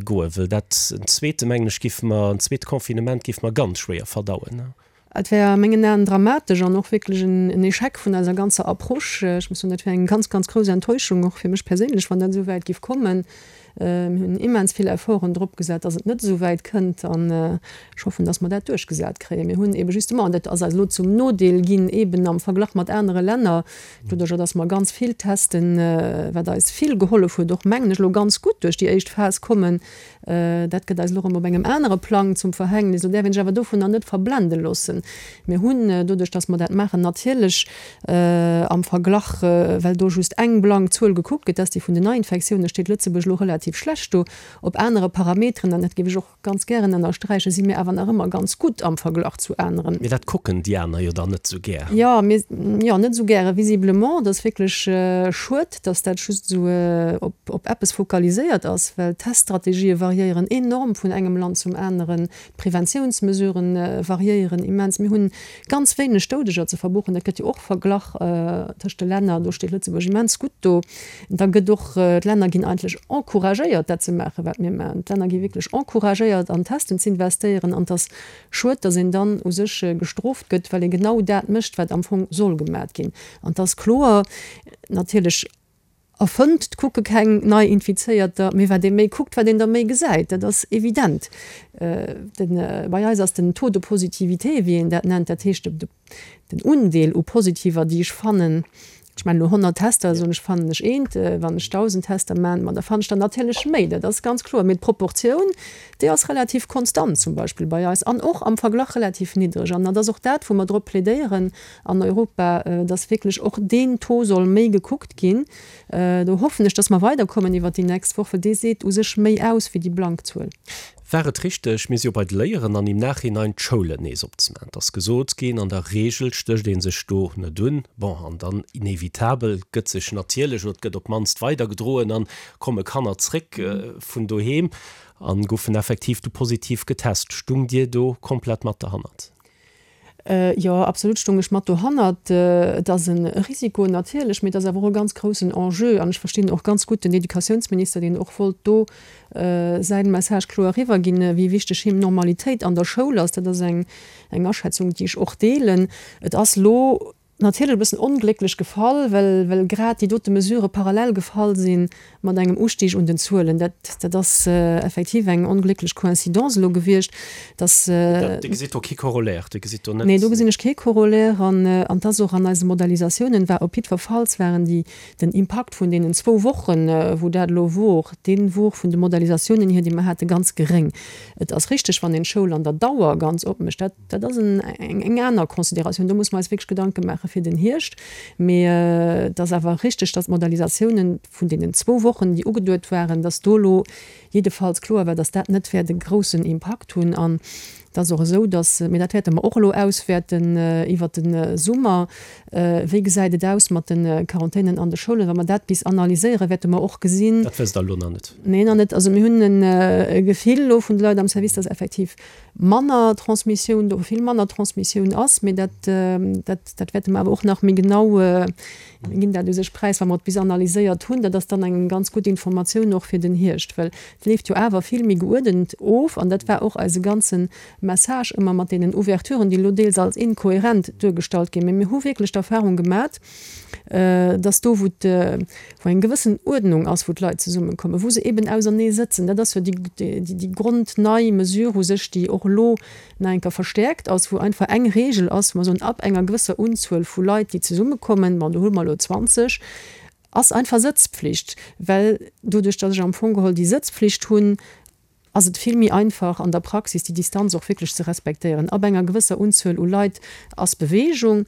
goen, wëll dat en zweete, mengen ech, géife mer, en zweet Confinement géife mer ganz schwéier verdauen. Et wär a mengen Aen dramatesch an och wierklech en Échec vun eiser ganzer Approche. Ech muss soen, dat wär eng ganz, ganz grouss Enttäuschung, och fir mech perséinlech, wann dat esou wäit géif kommen. Mir hunn immens vill Efforten drop gesat, dass et net esou wäit kënnt an ech hoffen, dass mer dat duerchgesat kréien. Mir hunn eebe justement, an dat ass eis elo zum Nodeel ginn, eeben am Verglach mat anere Länner, doduerjer dass mer ganz vill testen, wat eis vill gehollef huet, och mengen ech elo ganz gutt duerch déi éischt Phas kommen, Dat gëtt eis elo erëm op engem anere Plang zum Verhängnis. Lo däerf een sech awer dovunner net verblende loossen. Mir hunn, doduerch datt mer dat maachen, natierlech am Verglach, well do just eng blank Zuel gekuckt gëtt, dat ass déi vun den Neiinfektiounen, steet Lëtzebuerg elo relativ schlecht do. Op anere Parameteren, an dat géif ech och ganz gären ënnersträichen, si mir awer nach ëmmer ganz gutt am Verglach zu aneren. Mee dat kucken déi aner jo dann net esou gär. Jo, mir, jo, net esou gäre visiblement. Dat ass wierklech schued, datt dat just esou op, op eppes fokaliséiert ass, well d'Teststrategië variéieren enorm vun engem Land zum aneren, d'Preventiounsmesuren variéieren immens. Mir hunn ganz wéineg Doudeger ze verbuchen, dat gëtt jo och verglach tëscht de Länner, do steet Lëtzebuerg immens gutt do. Da gëtt och, d'Länner ginn eigentlech encouragéiert dat ze maachen, wat mir maachen. D'Länner gi wierklech encouragéiert an Testen z'investéieren an et ass schued, datt een dann u sech gestrooft gëtt, well ee genau dat mécht, wat am Fong soll gemat ginn. An et ass kloer natierlech, erfënnt, et kucke keng nei Infizéierter, mee wat ee méi kuckt, wat een der méi gesäit, dat ass evident. Den, bei eis ass den Taux de positivité, wéi een dat nennt, dat heescht den Undeel u Positiver, déi ech fannen, ech maachen elo honnert Tester, soen ech, fannen ech eent, wann ech dausend Tester maachen, ma da fannen ech der natierlech méi, dat ass ganz kloer. Mee d'Proportioun, déi ass relativ konstant zum Beispill bei eis an och am Verglach relativ niddreg. An dat ass och dat, wou mer drop plädéieren an Europa, dass wierklech och deen Taux soll méi gekuckt ginn. Do hoffen ech, dass mer weiderkommen iwwert déi nächst Woch, well dee seet u sech méi aus wéi déi blank Zuel. War et richteg, mir si jo bei de Léieren, an im Nachhinein d'Schoulen nees opzemaachen? Et ass gesot ginn, an der Regel stécht ee sech do net un. Bon, an dann inevitabel gëtt sech natierlech, oder et gëtt op d'mannst weidergedroen, an komme Kanner zréck vun doheem a goufen effektiv du positiv getest. Stung Dir do komplett mat derhannert? Jo, absolut stung ech mat dohannert. Et ass e Risiko natierlech, mee et ass awer och e ganz groussen Enjeu. An ech verstinn och ganz gutt den Educatiounsminister, deen och wollt do säin Message kloer eriwwerginn, wéi wichteg him Normalitéit an der Schoul ass. Dat ass eng Aschätzung, déi ech och deelen. Et ass elo natierlech e bëssen onglécklech gefall, well well grad déi dote Mesurë parallel gefall si mat engem Ustig un den Zuelen. Dat dat ass effektiv eng onglécklech Coïncidence elo gewiescht, dass. Dir gesitt do kee Corollaire? Dir gesitt do net. Nee, do gesinn ech kee Corollaire. An an et ass och an eise Modellisatiounen war op jiddwerfalls waren déi den Impakt vun deenen zwou Wochen, wou dat elo wor, dee wor vun de Modellisatiounen hier, déi mer haten, ganz geréng. Et ass richteg, wann een d'Schoul an der Dauer ganz opmécht, dat dat ass en eng aner Consideratioun. Do muss mer eis wierklech Gedanke maache fir den Hierscht. Mee et ass awer richteg, dass d'Modalisatiounen vun deenen zwou Wochen, déi ugeduet waren, dass do elo jiddefalls kloer war, dass dat net wäert e groussen Impakt hunn. An et ass och esou, dass, mee dat wäerte mer och elo auswäerten iwwert de Summer, wéi gesäit et aus mat de Quarantänen an de Schoulen. Wa mer dat bis analyséieren, wäerte mer och gesinn. Dat wësst Der elo nach net? Nee, nach net. Also mir hunn e Gefill elo vun de Leit am Service, dass effektiv manner Transmissioun do, vill manner Transmissioun ass, mee dat, dat, dat wäerte mer awer och nach méi genau, mir ginn dat u sech präis, wa mer et bis analyséiert hunn. Dat ass dann eng ganz gutt Informatioun och fir den Hierscht, well et leeft jo awer vill méi geuerdent of an dat war och eise ganze Message ëmmer mat deenen Ouverturen, déi elo deels als inkohärent duergestallt ginn. Mee mir hu wierklech d'Erfahrung gemat, dass do, wou wou eng gewëssen Uerdnung ass, wou d'Leit zesummekommen, wou se eben ausernee sëtzen, dat ass jo déi, déi grondnei Mesure u sech, déi och elo nach eng Kéier verstäerkt ass, wou einfach eng Regel ass, wou mer soen, ab enger gewësser Unzuel vu Leit, déi zesummekommen, bon, do hu mer elo zwanzeg, ass einfach Sëtzpflicht, well doduerch, dass ech am Fong geholl déi Sëtzpflicht hunn, ass et vill méi einfach an der Praxis déi Distanz och wierklech ze respektéieren. Ab enger gewësser Unzuel u Leit ass Beweegung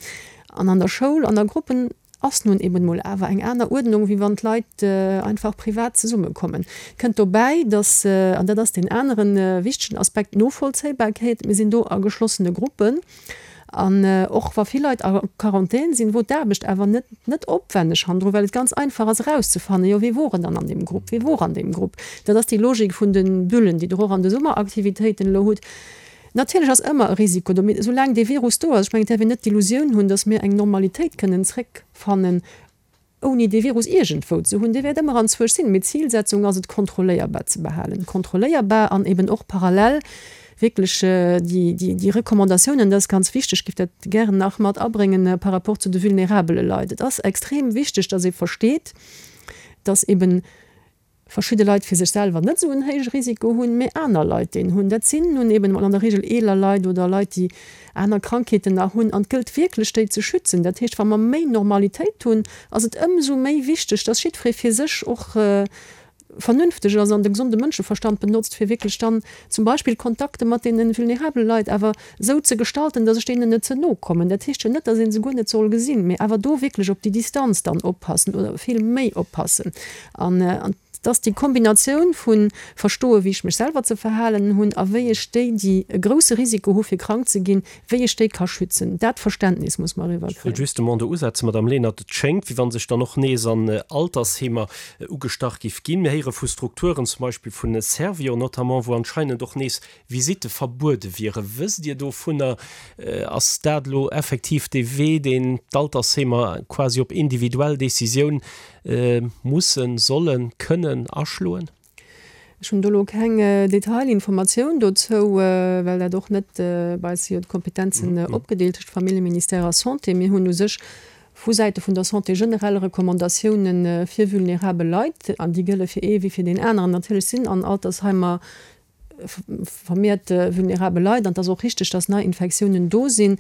an an der Schoul an a Gruppen ass nun eben mol awer eng aner Uerdnung, wéi wann d'Leit einfach privat zesummekommen. Kënnt dobäi, dass, an dat ass deen anere wichtegen Aspekt, d'Novollzéibarkeet, mir sinn do a geschlossene Gruppen an och wa vill Leit a Quarantän sinn, wor d'Aarbecht awer net net opwenneg hannendru, well et ganz einfach ass erauszefannen, jo wie wor en dann an deem Grupp, wie wor an deem Grupp. Dat ass déi Logik vun de Bullen, déi Der och an de Summeraktivitéiten elo hutt. Natierlech ass ëmmer e Risiko do, mee soulaang dee Virus do ass, ech mengen, et däerf een net d'Illusioun hunn, datt mir eng Normalitéit kënnen zréckfannen, ouni dee Virus iergendwou ze hunn. Dee wäert ëmmer anzwousch sinn, mee d'Zilsetzung ass et, kontrolléierbar ze behalen. Kontrolléierbar an eben och parallel wierklech déi Recommandatiounen, dat ass ganz wichteg, ech géif dat gären nach mat abréngen par rapport zu de vulnerabele Leit. Et ass extrem wichteg, datt ee versteet, datt eben verschidde Leit fir sech selwer net esou en héije Risiko hunn, mee aner Leit deen hunn. Dat sinn nun eben emol an der Regel eeler Leit oder Leit, déi aner Krankheeten nach hunn. An et gëllt wierklech, déi ze schützen. Dat heescht, wa mer méi Normalitéit hunn, ass et ëmsou méi wichteg, dass jiddweree fir sech och vernünfteg ass an de gesonde Mënscheverstand benotzt, fir wierklech dann zum Beispill Kontakte mat deene vulnerabele Leit awer esou ze gestalten, dass ech deenen net ze no kommen. Dat heescht jo net, dass ee se guer net soll gesinn, mee awer do wierklech op déi Distanz dann oppassen oder vill méi oppassen. An et ass déi Kombinatioun vu verstoen, wéi ech mech selwer ze verhalen hunn a wéi ech déi, déi e grousse Risiko hu fir krank ze ginn, wéi ech déi ka schützen. Dat Verständnis muss mer Ech eriwwerkréien. wëll justement do usetzen, Madame Lenert. Et schéngt, wéi wa sech dann och nees an Altersheemer ugestach giff ginn. Mir héiere vu Strukturen, zum Beispill vun Servior notamment, wou anscheinend och nees Visitte verbuede wieren. Wësst Dir dovunner? Ass dat elo effektiv dee Wee, deen d'Altersheemer quasi op individuell Decisioun mussen, sollen, kënnen aschloen? Ech hunn do elo keng Detailinformatioun dozou, well dat och net, bei eis si jo d'Kompetenzen opgedeelt tëscht Familljeministère a Santé. Mir hunn u sech vu Säite vun der Santé generell Recommandatiounen fir vulnerabel Leit, an déi gëlle fir ee wéi fir deen aneren. Natierlech sinn an Altersheimer vermehrt vulnerabel Leit an et ass och richteg, dass nei Infektiounen do sinn.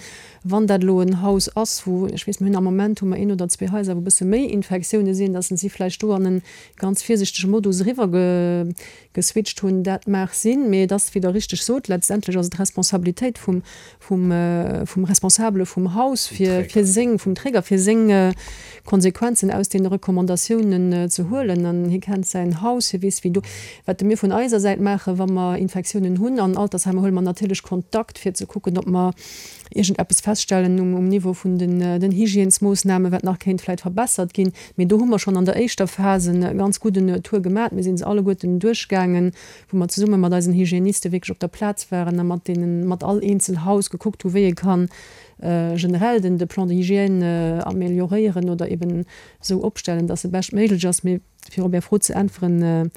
Wann dat elo en Haus ass, wou, ech weess, mir hunn am Moment hu mer een oder zwee Haiser, wou e bësse méi Infektioune sinn, dass se vläicht do an e ganz virsichtege Modus eriwwer geswitcht hunn, dat mag sinn, mee et ass, wéi Der richteg sot, letztendlech ass et d'Responsabilitéit vum, vum, vum Responsabele vum Haus, fir, fir seng, vum Träger, fir seng Konsequenzen aus deene Recommandatiounen ze huelen. An hie kennt säin Haus, hie weess, wéi do. Wat mir vun eiser Säit maachen, wa mer Infektiounen hunn an Altersheimer, huele mer natierlech Kontakt, fir ze kucken, ob mer iergendeppes feststellen um, um Niveau vun den, den Hygiènesmoossnamen, wat nach kéint vläicht verbessert ginn. Mee do hu mer schonn an der éischter Phas e ganz gudden Tour gemat. Mir si se alleguerten duerchgaangen, wou mer zesumme mat eisen Hygiéniste wierklech op der Plaz waren a mat deenen, mat all eenzel Haus gekuckt hu wéi ee kann generell den, de Plan de hygiène amelioréieren oder eben esou opstellen, dass e beschtméiglech ass. Mee fir op Är Fro ze äntweren,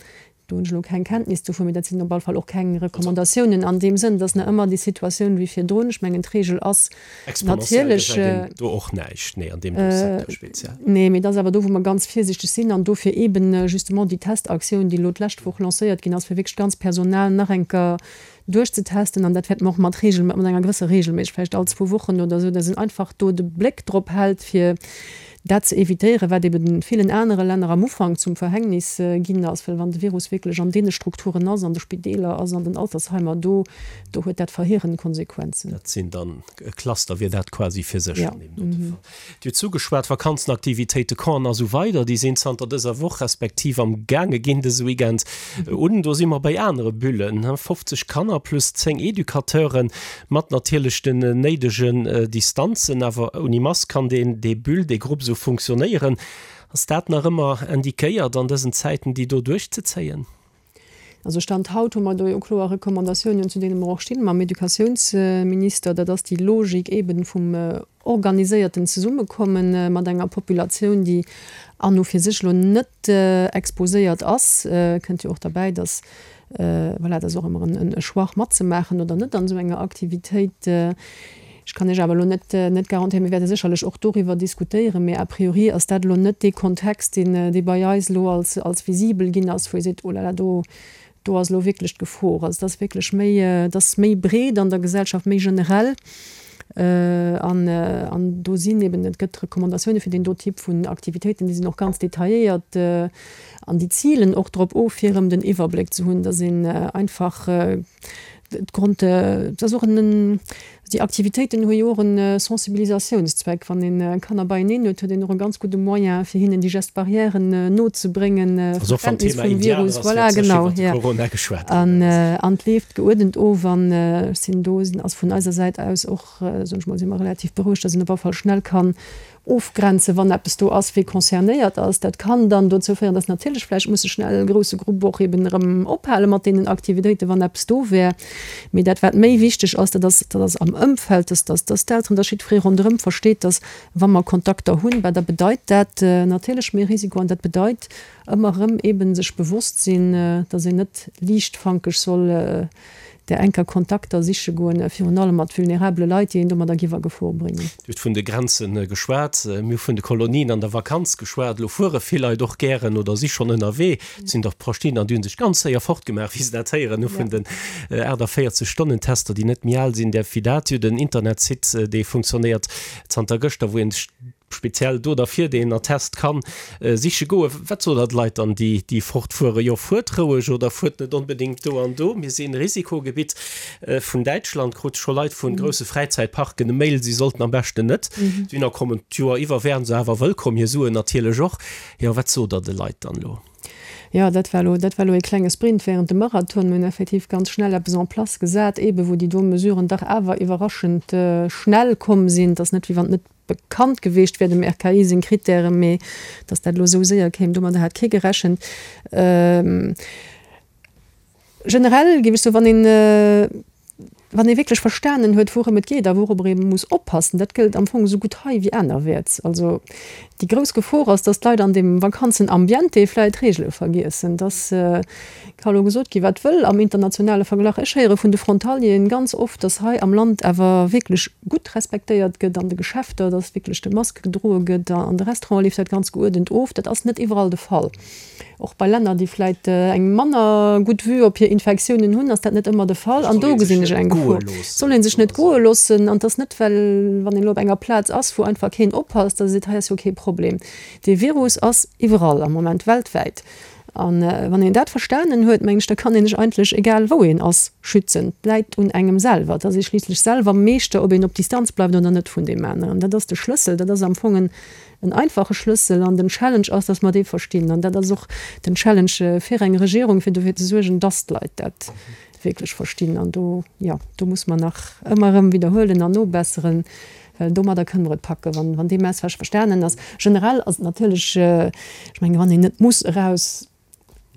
Do hunn ech elo keng Kenntnis dovun, mee dat sinn op alle Fall och keng Recommandatiounen an deem Sënn. Et ass nach ëmmer déi Situatioun wéi virdrun. Ech mengen, d'Regel ass Exponentiell natierlech. gesäit een do och näischt, nee, an deem do Secteur speziell. Nee, mee et ass awer do, wou mer ganz virsiichteg sinn an dofir eeben justement déi Testaktioun, déi elo d'lescht Woch lancéiert ginn ass, fir wierklech d'ganz Personal nach eng Kéier duerchzetesten an dat wäerte mer och mat Regel, mat enger gewësser Regelméissegkeet, vläicht all zwou Wochen oder esou, dass een einfach do de Bléck drop hält, fir dat ze évitéieren, wat eben villen anere Länner am Ufank zum Verhängnis ginn ass, well wann de Virus wierklech an deene Strukturen ass, an de Spideeler ass, an den Altersheimer, do, do huet dat verheerend Konsequenzen. Dat sinn dann e Cluster wier dat quasi fir sech an deem dote Fall. Dir hutt zugeschwat, Vakanzenaktivitéite, Campen a sou weider, déi sinn zanter dëser Woch respektiv am gaange ginn dëse Weekend un. Do si mer bei anere Bullen, fofzeg Kanner plus zéng Educateuren, mat natierlech den néidegen Distanzen, awer ouni Mask kann deen, dee Bulle, dee Grupp esou funktionéieren. Ass dat nach ëmmer indiquéiert an dësen Zäiten, déi do duerchzezéien? Also Stand haut hu mer do jo kloer Recommandatiounen, zu deene mer och stinn mam Educatiounsminister. Dat ass déi Logik eeben vum organiséierten Zesummekomme mat enger Populatioun, déi an u fir sech elo net exposéiert ass. Kënnt jo och derbäi, dass, voilà, dat ass och ëmmer e Choix matzemaachen oder net an esou enger Aktivitéit. Ech kann Iech awer elo net net garantéieren, mir wäerte sécherlech och doriwwer diskutéieren, mee a priori ass dat elo net dee Kontext, deen dee bei eis elo als als visibel ginn ass, wou ee seet, oh là là, do do ass elo wierklech d'Gefor. Also et ass wierklech méi, et ass méi breet an der Gesellschaft, méi generell. An an do sinn eben, et gëtt Recommandatioune fir deen do Typ vun Aktivitéiten, déi sinn och ganz detailléiert an déi zilen och drop of, fir erëm den Iwwerbléck ze hunn, dass een einfach d'Grond, et ass och en, déi Aktivitéiten hu jo och e Sensibilisatiounszweck. Wann ee Kanner beieneen huet, huet een och e ganz gudde Moyen, fir hinnen déi Gestes barrièren nozebréngen, Also och wann Verständnis d'Thema vum Indianer Virus, ass, voilà, wäert sécher genau, iwwer de ja. Corona geschwat ginn. An, an et leeft geuerdent of an ech sinn do, ass vun eiser Säit aus och, soen ech mol, si mer relativ berouegt, dass een op alle Fall schnell kann ofgrenzen, wann eppes do ass, wee concernéiert ass. Dat kann dann dozou féieren, dass natierlech vläicht musse schnell e grousse Grupp och eben erëm ophale mat deenen Aktivitéiten, wann eppes do wär. Mee dat, wat méi wichteg ass, dat ass, dat ass am Ëmfeld, dass, dass, dass d'Elteren, dass jiddweree ronderëm versteet, dass wa mer Kontakter hunn, bah, da bedeit dat natierlech méi Risiko an dat bedeit ëmmer erëm eben sech bewosst sinn, dass een net liichtfankeg soll där enker Kontakter siche goen, virun allem mat vulnerabele Leit, déi een domadder giff a Gefor bréngen. Dir hutt vun de Grenze geschwat, mir hu vun de Kolonien an der Vakanz geschwat. Elo fuere vill Leit och gären oder si schonn ënnerwee. Et sinn der verschiddener, déi hu sech ganz séier fortgemaach, wéi se dat héieren hu vun den aachtavéierzeg Stonnen-Tester, déi net méi al sinn. Där Fidatio, den Internetsite, dee funktionéiert zanter gëschter, wou een sech speziell do derfir deen Attest kann siche goen. Wat sot der de Leit dann, déi déi fortfueren? Jo, fuert roueg oder fuert net onbedéngt do an do, mir sinn Risikogebitt. Vun Däitschland krut scho Leit vun grousse Fräizäitparken e Mail, si sollten am beschten net dohinner kommen. D'Joer iwwer wären se awer wëllkomm, hir Suen natierlech och. Jo, wat sot der de Leit dann elo? Jo, dat war elo, dat war elo e klenge Sprint während dem Marathon. Mir hunn effektiv ganz schnell eppes en place gesat, eebe wou déi do Mesuren dach awer iwwerraschend schnell komm sinn. Et ass net, wéi wann et net bekannt geweecht wär, dem R K I seng Krittären, mee datt dat elo esou séier kéim, domadder hat kee gerechent. Generell géif ech soen, wann een, wann ee wierklech verstanen huet, wourëm et geet a wourobber ee muss oppassen, dat gëllt am Fong esou gutt hei wéi anerwäerts. Also déi grouss Gefor ass, dass d'Leit an deem Vakanzenambiente vläicht d'Reegele vergiessen. Dass ka elo gesot gi wat wëll am internationale Verglach. Ech héiere vun de Frontalieren ganz oft, dass hei am Land awer wierklech gutt respektéiert gëtt an de Geschäfter, dass wierklech de Mask gedroe gëtt, an de Restaurante leeft dat ganz geuerdent of. Dat ass net iwwerall de Fall. Och bei Länner, déi vläit eng manner gutt Vue op hir Infektiounen hunn, ass dat net ëmmer de Fall. An do gesinn ech eng Gefor. Et soll ee sech net goe loossen. An et ass net, well wann een elo op enger Plaz ass, wou einfach keen oppasst, da seet, hei ass jo kee Problem. Dee Virus ass iwwerall am Moment, weltwäit. A wann een dat verstanen huet, mengen ech, da kann een sech eigentlech, egal wou een ass, schützen. Et läit un engem selwer. Et ass ee schliisslech selwer Meeschter, ob een op Distanz bleift oder net vun deem aneren. Dat ass de Schlëssel. Dat ass am Fong en En einfache Schlëssel an den Challenge ass, dass mer dee verstinn. An dat ass och den Challenge fir eng Regierung, fir dofir ze suergen, dass d'Leit dat wierklech verstinn. An do, jo, do muss mer nach ëmmer erëm widderhuelen an nobesseren, well domadder kënne mer et packen, wann, wann dee Message verstanen ass. Generell ass et natierlech, ech mengen, wann een net muss eraus,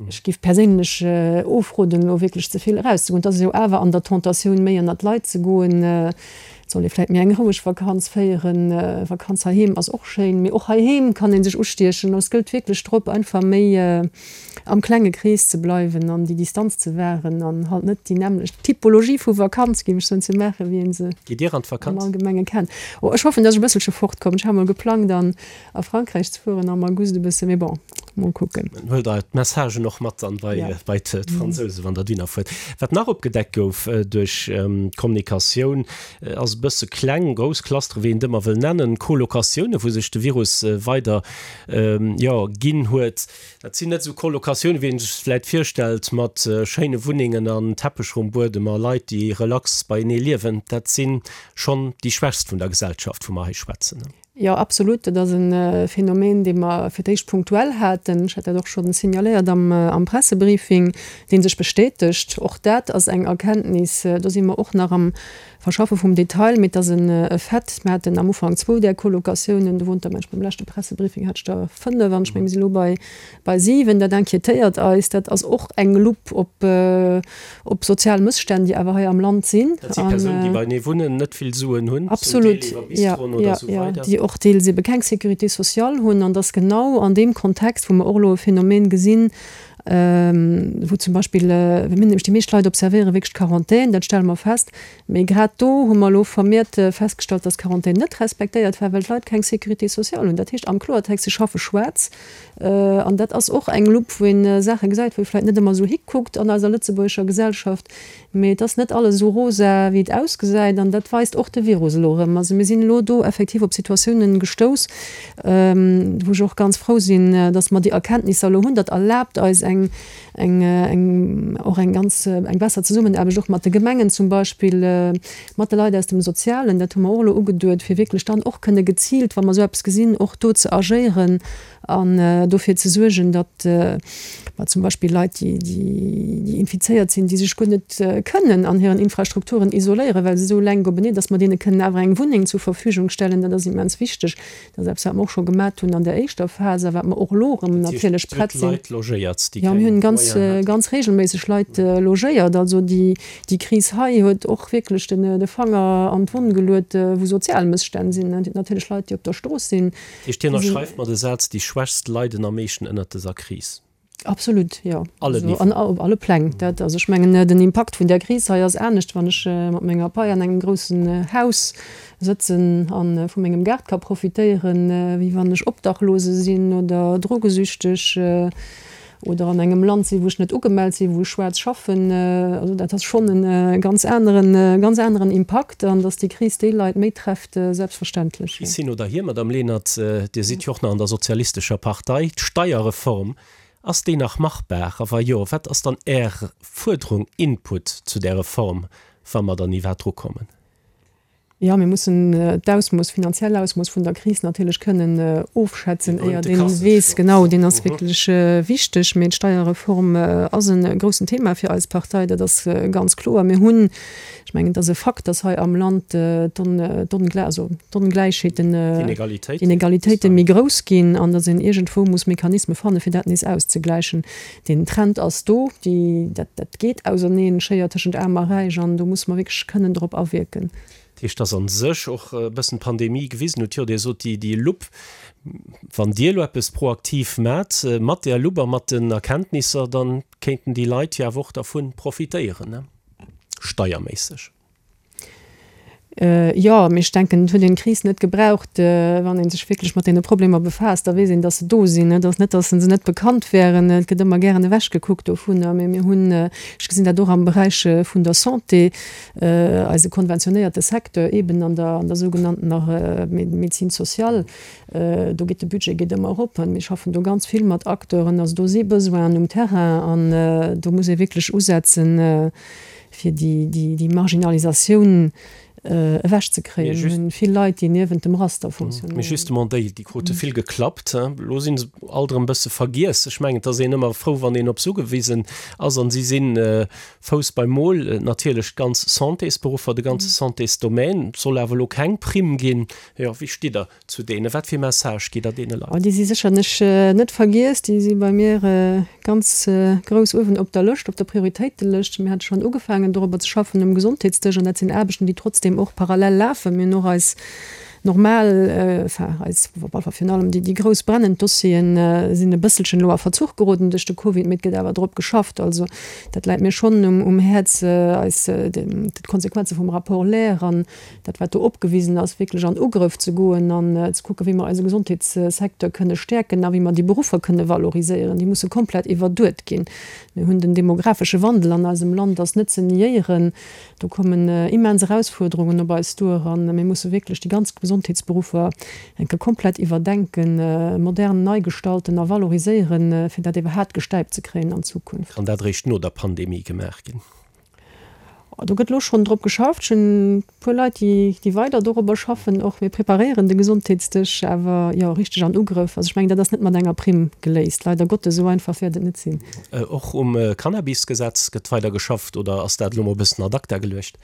Ech géif perséinlech ofroden, elo wierklech ze vill erauszegoen. Et ass jo awer an der Tentatioun, méi ënnert d'Leit ze goen. Et soll ee vläicht méi eng roueg Vakanz féieren. Vakanz heiheem ass och schéin, mee och heiheem kann ee sech ustiechen. Also et gëllt wierklech drop, einfach méi am klenge Krees ze bleiwen an déi Distanz ze wahren an halt net déi nämmlecht Typologie vu Vakanz, géif ech soen, ze maachen, wéi ee se Gitt Dir an am d'Vakanz? Allgemenge kennt. Oh, ech hoffen, datt ech e bësselche fortkommen. Ech hat mol geplangt, an a Frankräich ze fueren am August e bësse, mee bon, mol kucken. Huelt der d'Messagen och mat dann bei Ja. bei d'Fransousen, wann der dohinner fuert. Wat nach opgedeckt gouf duerch d'Kommunikatioun, ass e bësse kleng, grouss Clustere, wéi een et ëmmer wëll nennen, Colocatiounen, wou sech de Virus weider, jo, ginn huet. Dat sinn net esou Colocatiounen, wéi een sech se vläit virstellt, mat schéine Wunnengen an Teppech um Buedem a Leit, déi relax beienee liewen. Dat si schonn déi Schwächst vun der Gesellschaft, wou mer hei schwätzen. Jo, absolut. Dat ass e Phänomen, dee mer fir d'éischt punktuell haten. Ech hat dat och scho signaléiert am Pressebriefing, dee sech bestätegt. Och dat ass eng Erkenntnis, do si mer och nach am Verschaffe vum Detail, mee et ass e Fait. Mer haten am Ufank zwou där Colocatiounen, do wunnt der, mengen ech, beim leschte Pressebriefing hat ech der fënnef an ech menge mir si elo bei bei siwen. Dat inquiétéiert eis. Dat ass och eng Lupp op op sozial Mësstänn, déi awer hei am Land sinn. Dat si Persounen, déi beienee wunnen, net vill Suen hunn, zum Deel Absolut, iwwer jo, Bistroen oder jo, esou jo, weider. déi och deels ebe keng Sécurité sociale hunn. An dass genau an deem Kontext, wou mer och elo e Phänomen gesinn, wou zum Beispill, mir hunn nämlech déi meescht Leit observéiere wierklech d'Quarantän, dat stelle mer fest, mee grad do hu mer elo vermeert festgestallt, dass d'Quarantän net respektéiert war, well d'Leit keng Sécurité sociale hunn. Dat heescht am Kloertext, se schaffe schwaarz. An dat ass och eng Lupp, wou ee Saache gesäit, wou ee vläicht net ëmmer esou hikuckt an eiser lëtzebuergescher Gesellschaft. Mee et ass net alles esou rosa, wéi et ausgesäit. An dat weist och de Virus elo erëm. Also mir sinn elo do effektiv op Situatiounen gestouss, wou ech och ganz frou sinn, dass mer déi Erkenntnisser elo hunn. Dat erlaabt eis eng, eng, eng, och eng ganz, eng besser Zesummenaarbecht och mat de Gemengen zum Beispill, mat de Leit aus dem Sozialen. Dat hu mer och elo ugeduet, fir wierklech dann och kënne geziilt, wa mer esou eppes gesinn, och do ze agéieren an dofir ze suergen, datt mer zum Beispill Leit, déi, déi infizéiert sinn, déi sech guer net kënnen an hiren Infrastrukturen isoléieren, well se esou lenk openeen, datt mer deene kënnen awer eng Wunneng zur Verfügung stellen. Dat ass immens wichteg. Dat ass eppes, wat mer och scho gemat hunn an der éischter Phas a wat mer och elo erëm natierlech prett sinn. Leit logéiert, déi Jo, mir keng hunn ganz, Moyenen haten. ganz regelméisseg Leit logéiert. Also déi, déi Kris hei huet och wierklech den, de Fanger an d'Wonn geluet, wou sozial Mësstänn sinn. Et ginn natierlech Leit, déi op der Strooss sinn. Dat heescht, Dir ënnerschreift mer de Saz, déi Schwächst leiden am meeschten ënnert dëser Kris? Absolut, jo. Allen Also an Niveauen. op alle Pläng. Dat, also ech mengen, den Impakt vun där Kris hei ass anescht, wann ech mat menger Pai an engem groussen Haus sëtzen a vu mengem Gaart ka profitéieren, wéi wann ech Obdachlose sinn oder drogesüchteg oder an engem Land sinn, wou ech net ugemellt sinn, wou ech schwaarz schaffen. Also dat ass schonn e ganz aneren, ganz aneren Impakt an datt déi Kris déi Leit méi trefft, selbstverständlech, jo. Bis hin oder hier, Madame Lenert, Dir sidd jo och nach an der Sozialistescher Partei. D'Steierreform, ass déi nach machbar? A wa jo, wat ass dann Är Fuerderung, Input zu där Reform, wa mer dann iwwerhaapt drukommen? Jo, mir mussen d'Ausmooss, finanziell Ausmooss vun der Kris natierlech kënnen ofschätzen, éier een weess, genau, deen ass wierklech wichteg. Mee d'Steierreform ass e groussen Thema fir eis Partei, dat ass ganz kloer. Mir hunn, ech mengen, et ass e Fakt, datt hei am Land d'Ongläichheeten, d'Inegalitéite méi grouss ginn an datt een iergendwou muss Mechanisme fanne fir dat nees auszegläichen. Deen Trend ass do, déi, dat, dat geet auserneen, d'Schéier tëschent Aarm a Räich, an do musse mer wierklech kënnen drop awierken. Dat heescht, dass a sech och e bëssen d'Pandemie gewisen huet, jo, Dir sot déi, déi Lupp, wann Dir elo eppes proaktiv maacht mat där Lupp a mat den Erkenntnisser, da kéinten déi Leit jo awer och dervu profitéieren, ne, steierméisseg. Jo, mee ech denken, et huet een d'Kris net gebraucht. Wann ee sech wierklech mat deene Problemer befaasst, da weess een, dass se do sinn. Et ass net, dass se net bekannt wären. Et gëtt ëmmer gären ewechgekuckt dovunner. Mee mir hunn, ech gesinn dat och am Beräich vun der Santé, eise konventionéierte Secteur eeben an der, an der sougenanntener Médecine sociale, do geet de Budget geet ëmmer erop. Mir schaffen do ganz vill mat Acteuren. Also do si Besoinen um Terrain an do muss ee wierklech usetzen, fir déi, déi, déi Marginalisatioun ewechzekréien. Mir hunn vill Leit, déi niewent dem Raster funktionéieren. Mee justement déi, déi krute vill geklappt. Elo si se alt erëm e bësse vergiess. Ech mengen, et ass een ëmmer frou, wann een op se ugewisen ass. An si sinn Fouss beim Mol. Natierlech d'ganz Santésberuffer, de ganze Santésdomaine. Et soll awer elo keng Primm ginn. Jo, wéi stitt Der zu deenen? Wat fir e Message gitt Der deene Leit? Oh, déi si sécherlech net vergiess. Déi si bei mir ganz grouss uewen op der Lëscht, op der Prioritéitelëscht. Mir hate schonn ugefaangen dorobber ze schaffen um Gesondheetsdësch an dat sinn Aarbechten, déi trotzdeem och parallel lafen. Mir hunn och eis normal, enfin eis, op alle Fall virun allem déi, déi grouss brennend Dossieren sinn e bësselchen elo a Verzuch geroden duerch de Covid, mee et gëtt awer drop geschafft. Also dat läit mir schonn um Häerz, eis d'Konsequenze vum Rapport Lair an dat wat do opgewisen ass, wierklech an Ugrëff ze goen an ze kucken, wéi mer eise Gesondheetssecteur kënne stäerken a wéi mer déi Beruffer kënne valoriséieren. Déi musse komplett iwwerduet ginn. Mir hunn den demografesche Wandel an eisem Land ass net ze niéieren. Do kommen immens Erausfuerderungen op eis duer a mir musse wierklech déi ganz Gesondheetsberuffer eng Kéier komplett iwwerdenken, modern nei gestalten a valoriséieren, fir dat iwwerhaapt gestäipt ze kréien an Zukunft. Kann dat eréischt no der Pandemie gemaach ginn? Do gëtt elo schonn drop geschafft. Ech hunn e puer Leit, déi, déi weider dorobber schaffen och. Mir preparéieren de Gesondheetsdësch awer, jo, richteg an Ugrëff. Also ech mengen, dat ass net mat enger Primm geléist, leider Gottes. Esou einfach wäert et net sinn. Och um Cannabisgesetz gëtt weider geschafft oder ass dat elo mol e bëssen ad acta geluecht?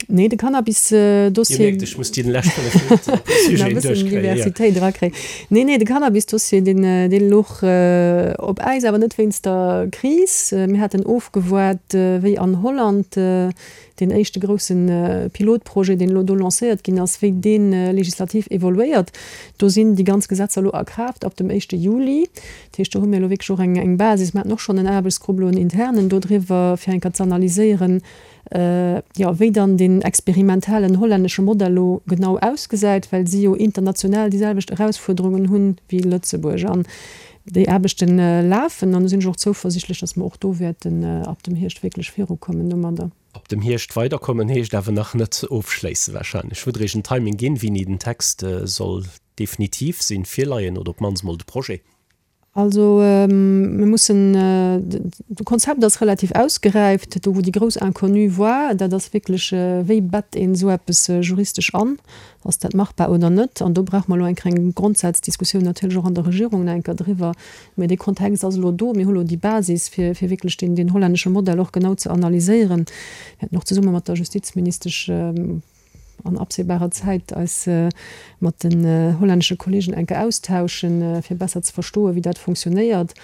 Nee, de Cannabis-Dossier. Dir mierkt, ech muss déi lescht fënnef Minutten e puer Sujeten duerchkréien. Diversitéit erakréien. Nee, nee, de Cannabis-Dossier, deen, dee louch op Äis, awer net wéinst der Kris. Mir haten ofgewaart, wéi an Holland deen éischte grousse Pilotprojet, deen elo do lancéiert ginn ass, wéi dee legislativ evoluéiert. Do sinn déi ganz Gesetzer elo a Kraaft ab dem éischte Juli. Dat heescht, do hu mir elo wierklech och eng, eng Basis. Mir haten och schonn en Aarbechtsgrupp elo, en internen dodriwwer, fir eng Kéier ze analyséieren, jo, wéi dann deen experimentellen hollännesche Modell elo genau ausgesäit, well si jo international déi selwecht Erausfuerderungen hunn wéi Lëtzebuerg. An déi Aarbechte lafen an do sinn ech och zouversichtlech, datt mer och do wäerten ab dem Hierscht wierklech virukommen domadder. Ab dem Hierscht weiderkommen heescht awer nach net ofschléisse wahrscheinlech. Hutt Der Iech en Timing ginn, wéini den Text soll definitiv sinn, virleien oder op d'mannst mol de Projet? Also mir mussen, de Konzept ass relativ ausgeräift. Do wou déi grouss Inconnue war, dat ass wierklech, wéi bett een esou eppes juristesch an? Ass dat machbar oder net? An do brauche mer elo eng kleng Grondsazdiskussioun natierlech och an der Regierung nach eng Kéier driwwer. Mä dee Kontext ass elo do. Mir hu elo déi Basis, fir fir wierklech deen deen hollännesche Modell och genau ze analyséieren. Mir wäerten och zesumme mat der Justizministesch an absehbarer Zäit eis mat den hollännesche Kollegen enke austauschen, fir besser ze verstoen, wéi dat funktionéiert,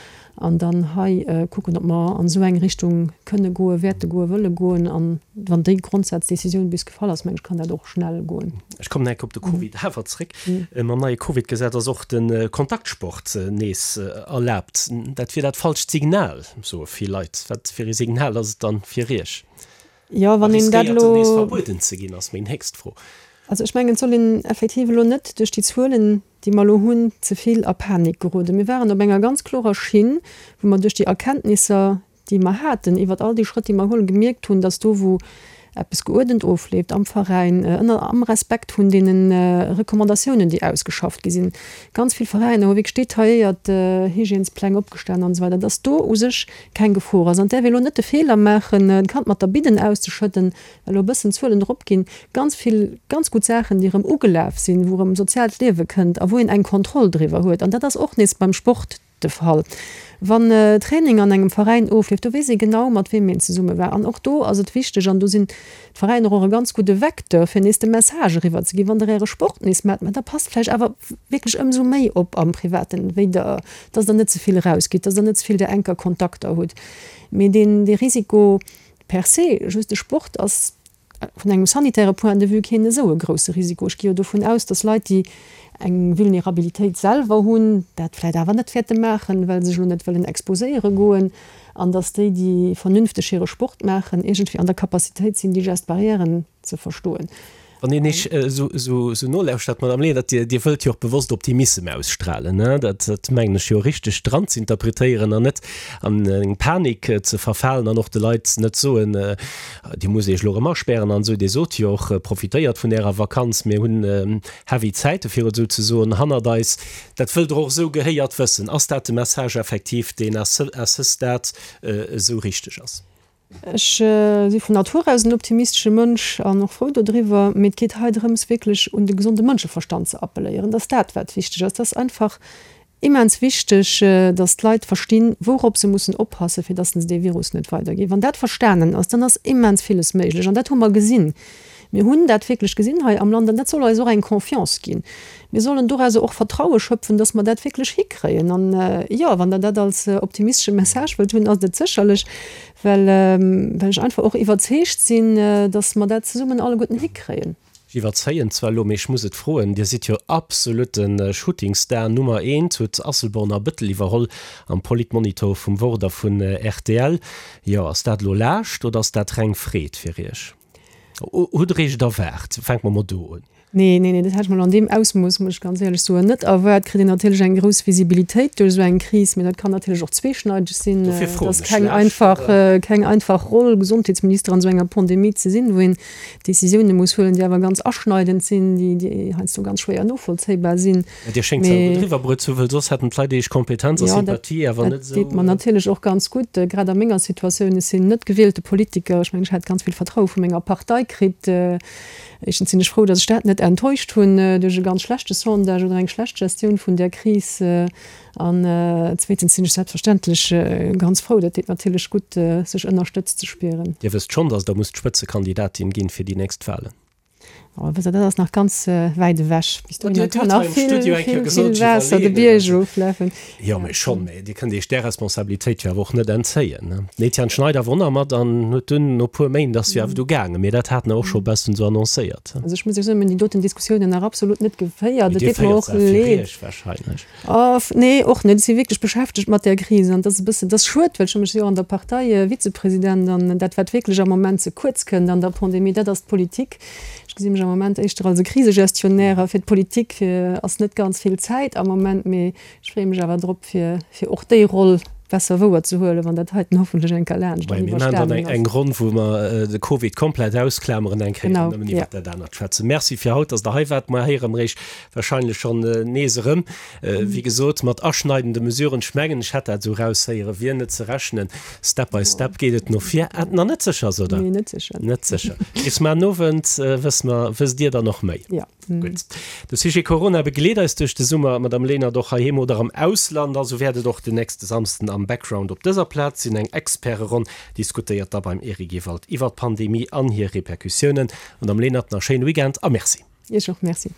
an dann hei kucken, ob mer an esou eng Richtung kënne goen, wäerte goen, wëlle goen. An wann déi Grondsaz-Décisioun bis gefall ass, mengen ech, kann dat och schnell goen. Ech kommen enke op de Covid awer zréck. Mam neie Covid-Gesetz ass och de Kontaktsport nees erlaabt. Dat wier dat falscht Signal, soe vill Leit. Wat fir ee Signal ass et dann fir Iech? Jo, wann een dat Riskéiert en nees elo. verbueden ze ginn, ass meng nächst Fro. Also ech mengen, et soll een effektiv elo net duerch déi Zuelen, déi mer elo hunn, ze vill a Panik geroden. Mir waren op enger ganz klorer Schinn, wou mer duerch déi Erkenntnisser, déi mer haten iwwert all déi Schrëtt, déi mer huelen, gemierkt hunn, dass do, wou eppes geuerdent ofleeft am Veräin, ënner am Respekt vun deene Recommandatiounen, déi ausgeschafft gi sinn. Ganz vill Veräiner hu wierklech detailléiert Hygiènespläng opgestan an esou weider, dass do u sech keng Gefor ass. An et däerf ee lo net de Feeler maachen, d'Kand mat der Bidden auszeschëdden, well elo e bëssen d'Zuelen eropginn. Ganz vill ganz gutt Saachen, déi erëm ugelaf sinn, wou erëm soziaalt Liewe kënnt a wou een eng Kontroll driwwer huet. An dat ass och nees beim Sport de Fall. Wann Training an engem Veräin ofleeft, do weess ee genau, mat weem een zesumme war. An och do ass et wichteg, an do sinn d'Veräiner och e ganz gudde Vecteur, fir nees de Message eriwwer ze ginn, Wann Der Äre Sport nees maacht, mä da passt vläicht awer wierklech ëmsou méi op am Privaten, wéi Der, dass Der net ze vill erausgitt, dass Der net ze vill där enker Kontakter hutt. Mee deen, dee Risiko per se, just de Sport ass vun engem sanitäre Point de vue keen esou e grousse Risiko. Ech gi jo dovun aus, dass Leit, déi eng Vulnerabilitéit selwer hunn, dat vläicht awer net wäerte maachen, well se sech elo net wëllen exposéiere goen, an dass déi, déi vernünfteg hire Sport maachen, iergendwéi an der Capacitéit sinn, déi Gestes barrièren ze verstoen. Wann een Iech esou nolauschtert, Madame Lenert, Dir, Dir wëllt jo och bewosst Optimissem ausstrahlen, ne? Dat, dat mengen ech jo richteg dran ze interpretéieren an net an eng Panik ze verfalen an och de Leit net soen, Dir musst Iech elo erëm aspären an esou. Dir sot jo och, profitéiert vun Ärer Vakanz, mir hunn heavy Zäite fir et esou ze soen hannert eis. Dat wëllt Der och esou gehéiert wëssen. Ass dat de Message effektiv, deen à ce stade esou richteg ass? Ech si vun Natur aus en optimistesche Mënsch an och frou dodriwwer, mee et geet hei drëms wierklech un de gesonde Mënscheverstand ze appelléieren. Dat ass dat wat wichteg ass. Dat ass einfach immens wichteg, datt d'Leit verstinn, wourop se mussen oppassen, fir datt se dee Virus net weiderginn. Wann dat verstanen ass, dann ass immens villes méiglech an dat hu mer gesinn. Mir hunn dat wierklech gesinn hei am Land an dat soll eis och eng Confiance ginn. Mir sollen dorauser och Vertraue schöpfen, dass mer dat wierklech hikréien. An, jo, wann Der dat als optimistesche Message wëllt hunn, ass et et sécherlech, well, well ech einfach och iwwerzeegt sinn, dass mer dat zesummen alleguerten hikréien. Ech iwwerzéien zwar elo, mee ech muss et froen, Dir sidd jo absolutte Shootingstar Nummer eent, hutt Asselborn a Bëttel iwwerholl am Politmonitor vum Wort a vun rtl. Jo, ass dat elo Laascht oder ass dat reng Freed fir Iech? Hutt Der Iech et erwaart? Fänke mer mol do un. Nee, nee, nee, dat hätt ech mer elo an deem Ausmooss, muss ech ganz éierlech soen, net erwaart. Kritt een natierlech eng grouss Visibilitéit duerch esou eng Kris, mee dat kann natierlech och zweeschneideg sinn. Dofir Et froen ass ech keng lech. einfach, keng einfach Roll, Gesondheetsminister an esou enger Pandemie ze sinn, wou een Décisioune muss huelen, déi awer ganz aschneidend sinn, déi, déi heiansdo ganz schwéier novollzéibar sinn. Mä Dir schéngt se awer gutt eriwwerbruet ze hunn, well soss hätten d'Leit Iech Kompetenz a Jo, dat, Sympathie awer dat net deet esou. mer natierlech och ganz gutt, grad a menger Situatioun. Ech sinn net gewielte Politiker. Ech mengen, ech hat ganz vill Vertraue vu menger Partei kritt. Éischtens sinn ech frou, datt ech dat net enttäuscht hunn duerch e ganz schlechte Sondage oder eng schlecht Gestioun vun där Kris. An zweetens sinn ech selbstverständlech ganz frou, dat deet natierlech gutt, sech ënnerstëtzt ze spieren. Dir wësst schonn, datt Der musst Spëtzekandidatin ginn fir déi nächst Wahlen? Oh, wësst Der, dat ass nach ganz wäit ewech. Bis dohinner Dir kann hutt nach hei am vill, Studio eng Kéier vill, gesot, vill ech Waasser de iwwerleeën Bierg et. eroflafen. Jo, mee schonn, mee Dir kënnt Iech där Responsabilitéit jo awer och net entzéien, ne? Den Etienne Schneider wor nach mat an huet dunn no puer Méint ass jo awer du gaangen, mee dat hat en och scho bessen esou annoncéiert. Also ech muss Iech soen, mir hunn déi doten Diskussiounen nach absolut net geféiert. Mee Et Dir deet mer féiert och se awer fir leed. Iech wahrscheinlech. Oh, nee, och net. Ech si wierklech beschäftegt mat där Kris an dat ass e bëssen, dat ass schued, well ech hu mech jo an der Partei Vizepresident an dat wat wierklech am Moment ze kuerz kënnt an der Pandemie, dat ass d'Politik. Ech gesi mech am Moment éischter als e Krisegestionnaire a fir d'Politik ass net ganz vill Zäit am Moment, mee ech freeë mech awer drop, fir, fir och déi Roll besser wouer ze huelen, wann dat heiten hoffentlech eng Kéier laanscht an Mir maachen dann iwwerstanen ass. eng Ronn, wou mer de Covid komplett ausklameren eng Kéier an Genau, nëmmen ja. iwwert dat anert schwätzen. Merci fir haut, dass Der hei waart. Mer héiere mer Iech wahrscheinlech schonn nees erëm. Wéi gesot, mat aschneidende Mesuren. Ech mengen, ech hätt dat esou eraushéieren, wier net ze rechnen. Step by step geet et no vir. Ah, nach net sécher ass, oder? Nee, net sécher. Net sécher. Bis mar den Owend wësse mer, wësst Dir dann och méi. Ja. Gutt. De Sujet Corona begleet eis duerch de Summer, Madame Lenert, och heiheem oder am Ausland. Also wäert et och den nächste Samsden am Background op dëser Plaz sinn. Eng Experteronn diskutéiert da beim Eric Ewald iwwer d'Pandemie an hir Repercussiounen. Madame Lenert, nach schéine Weekend a Merci. Iech och Merci.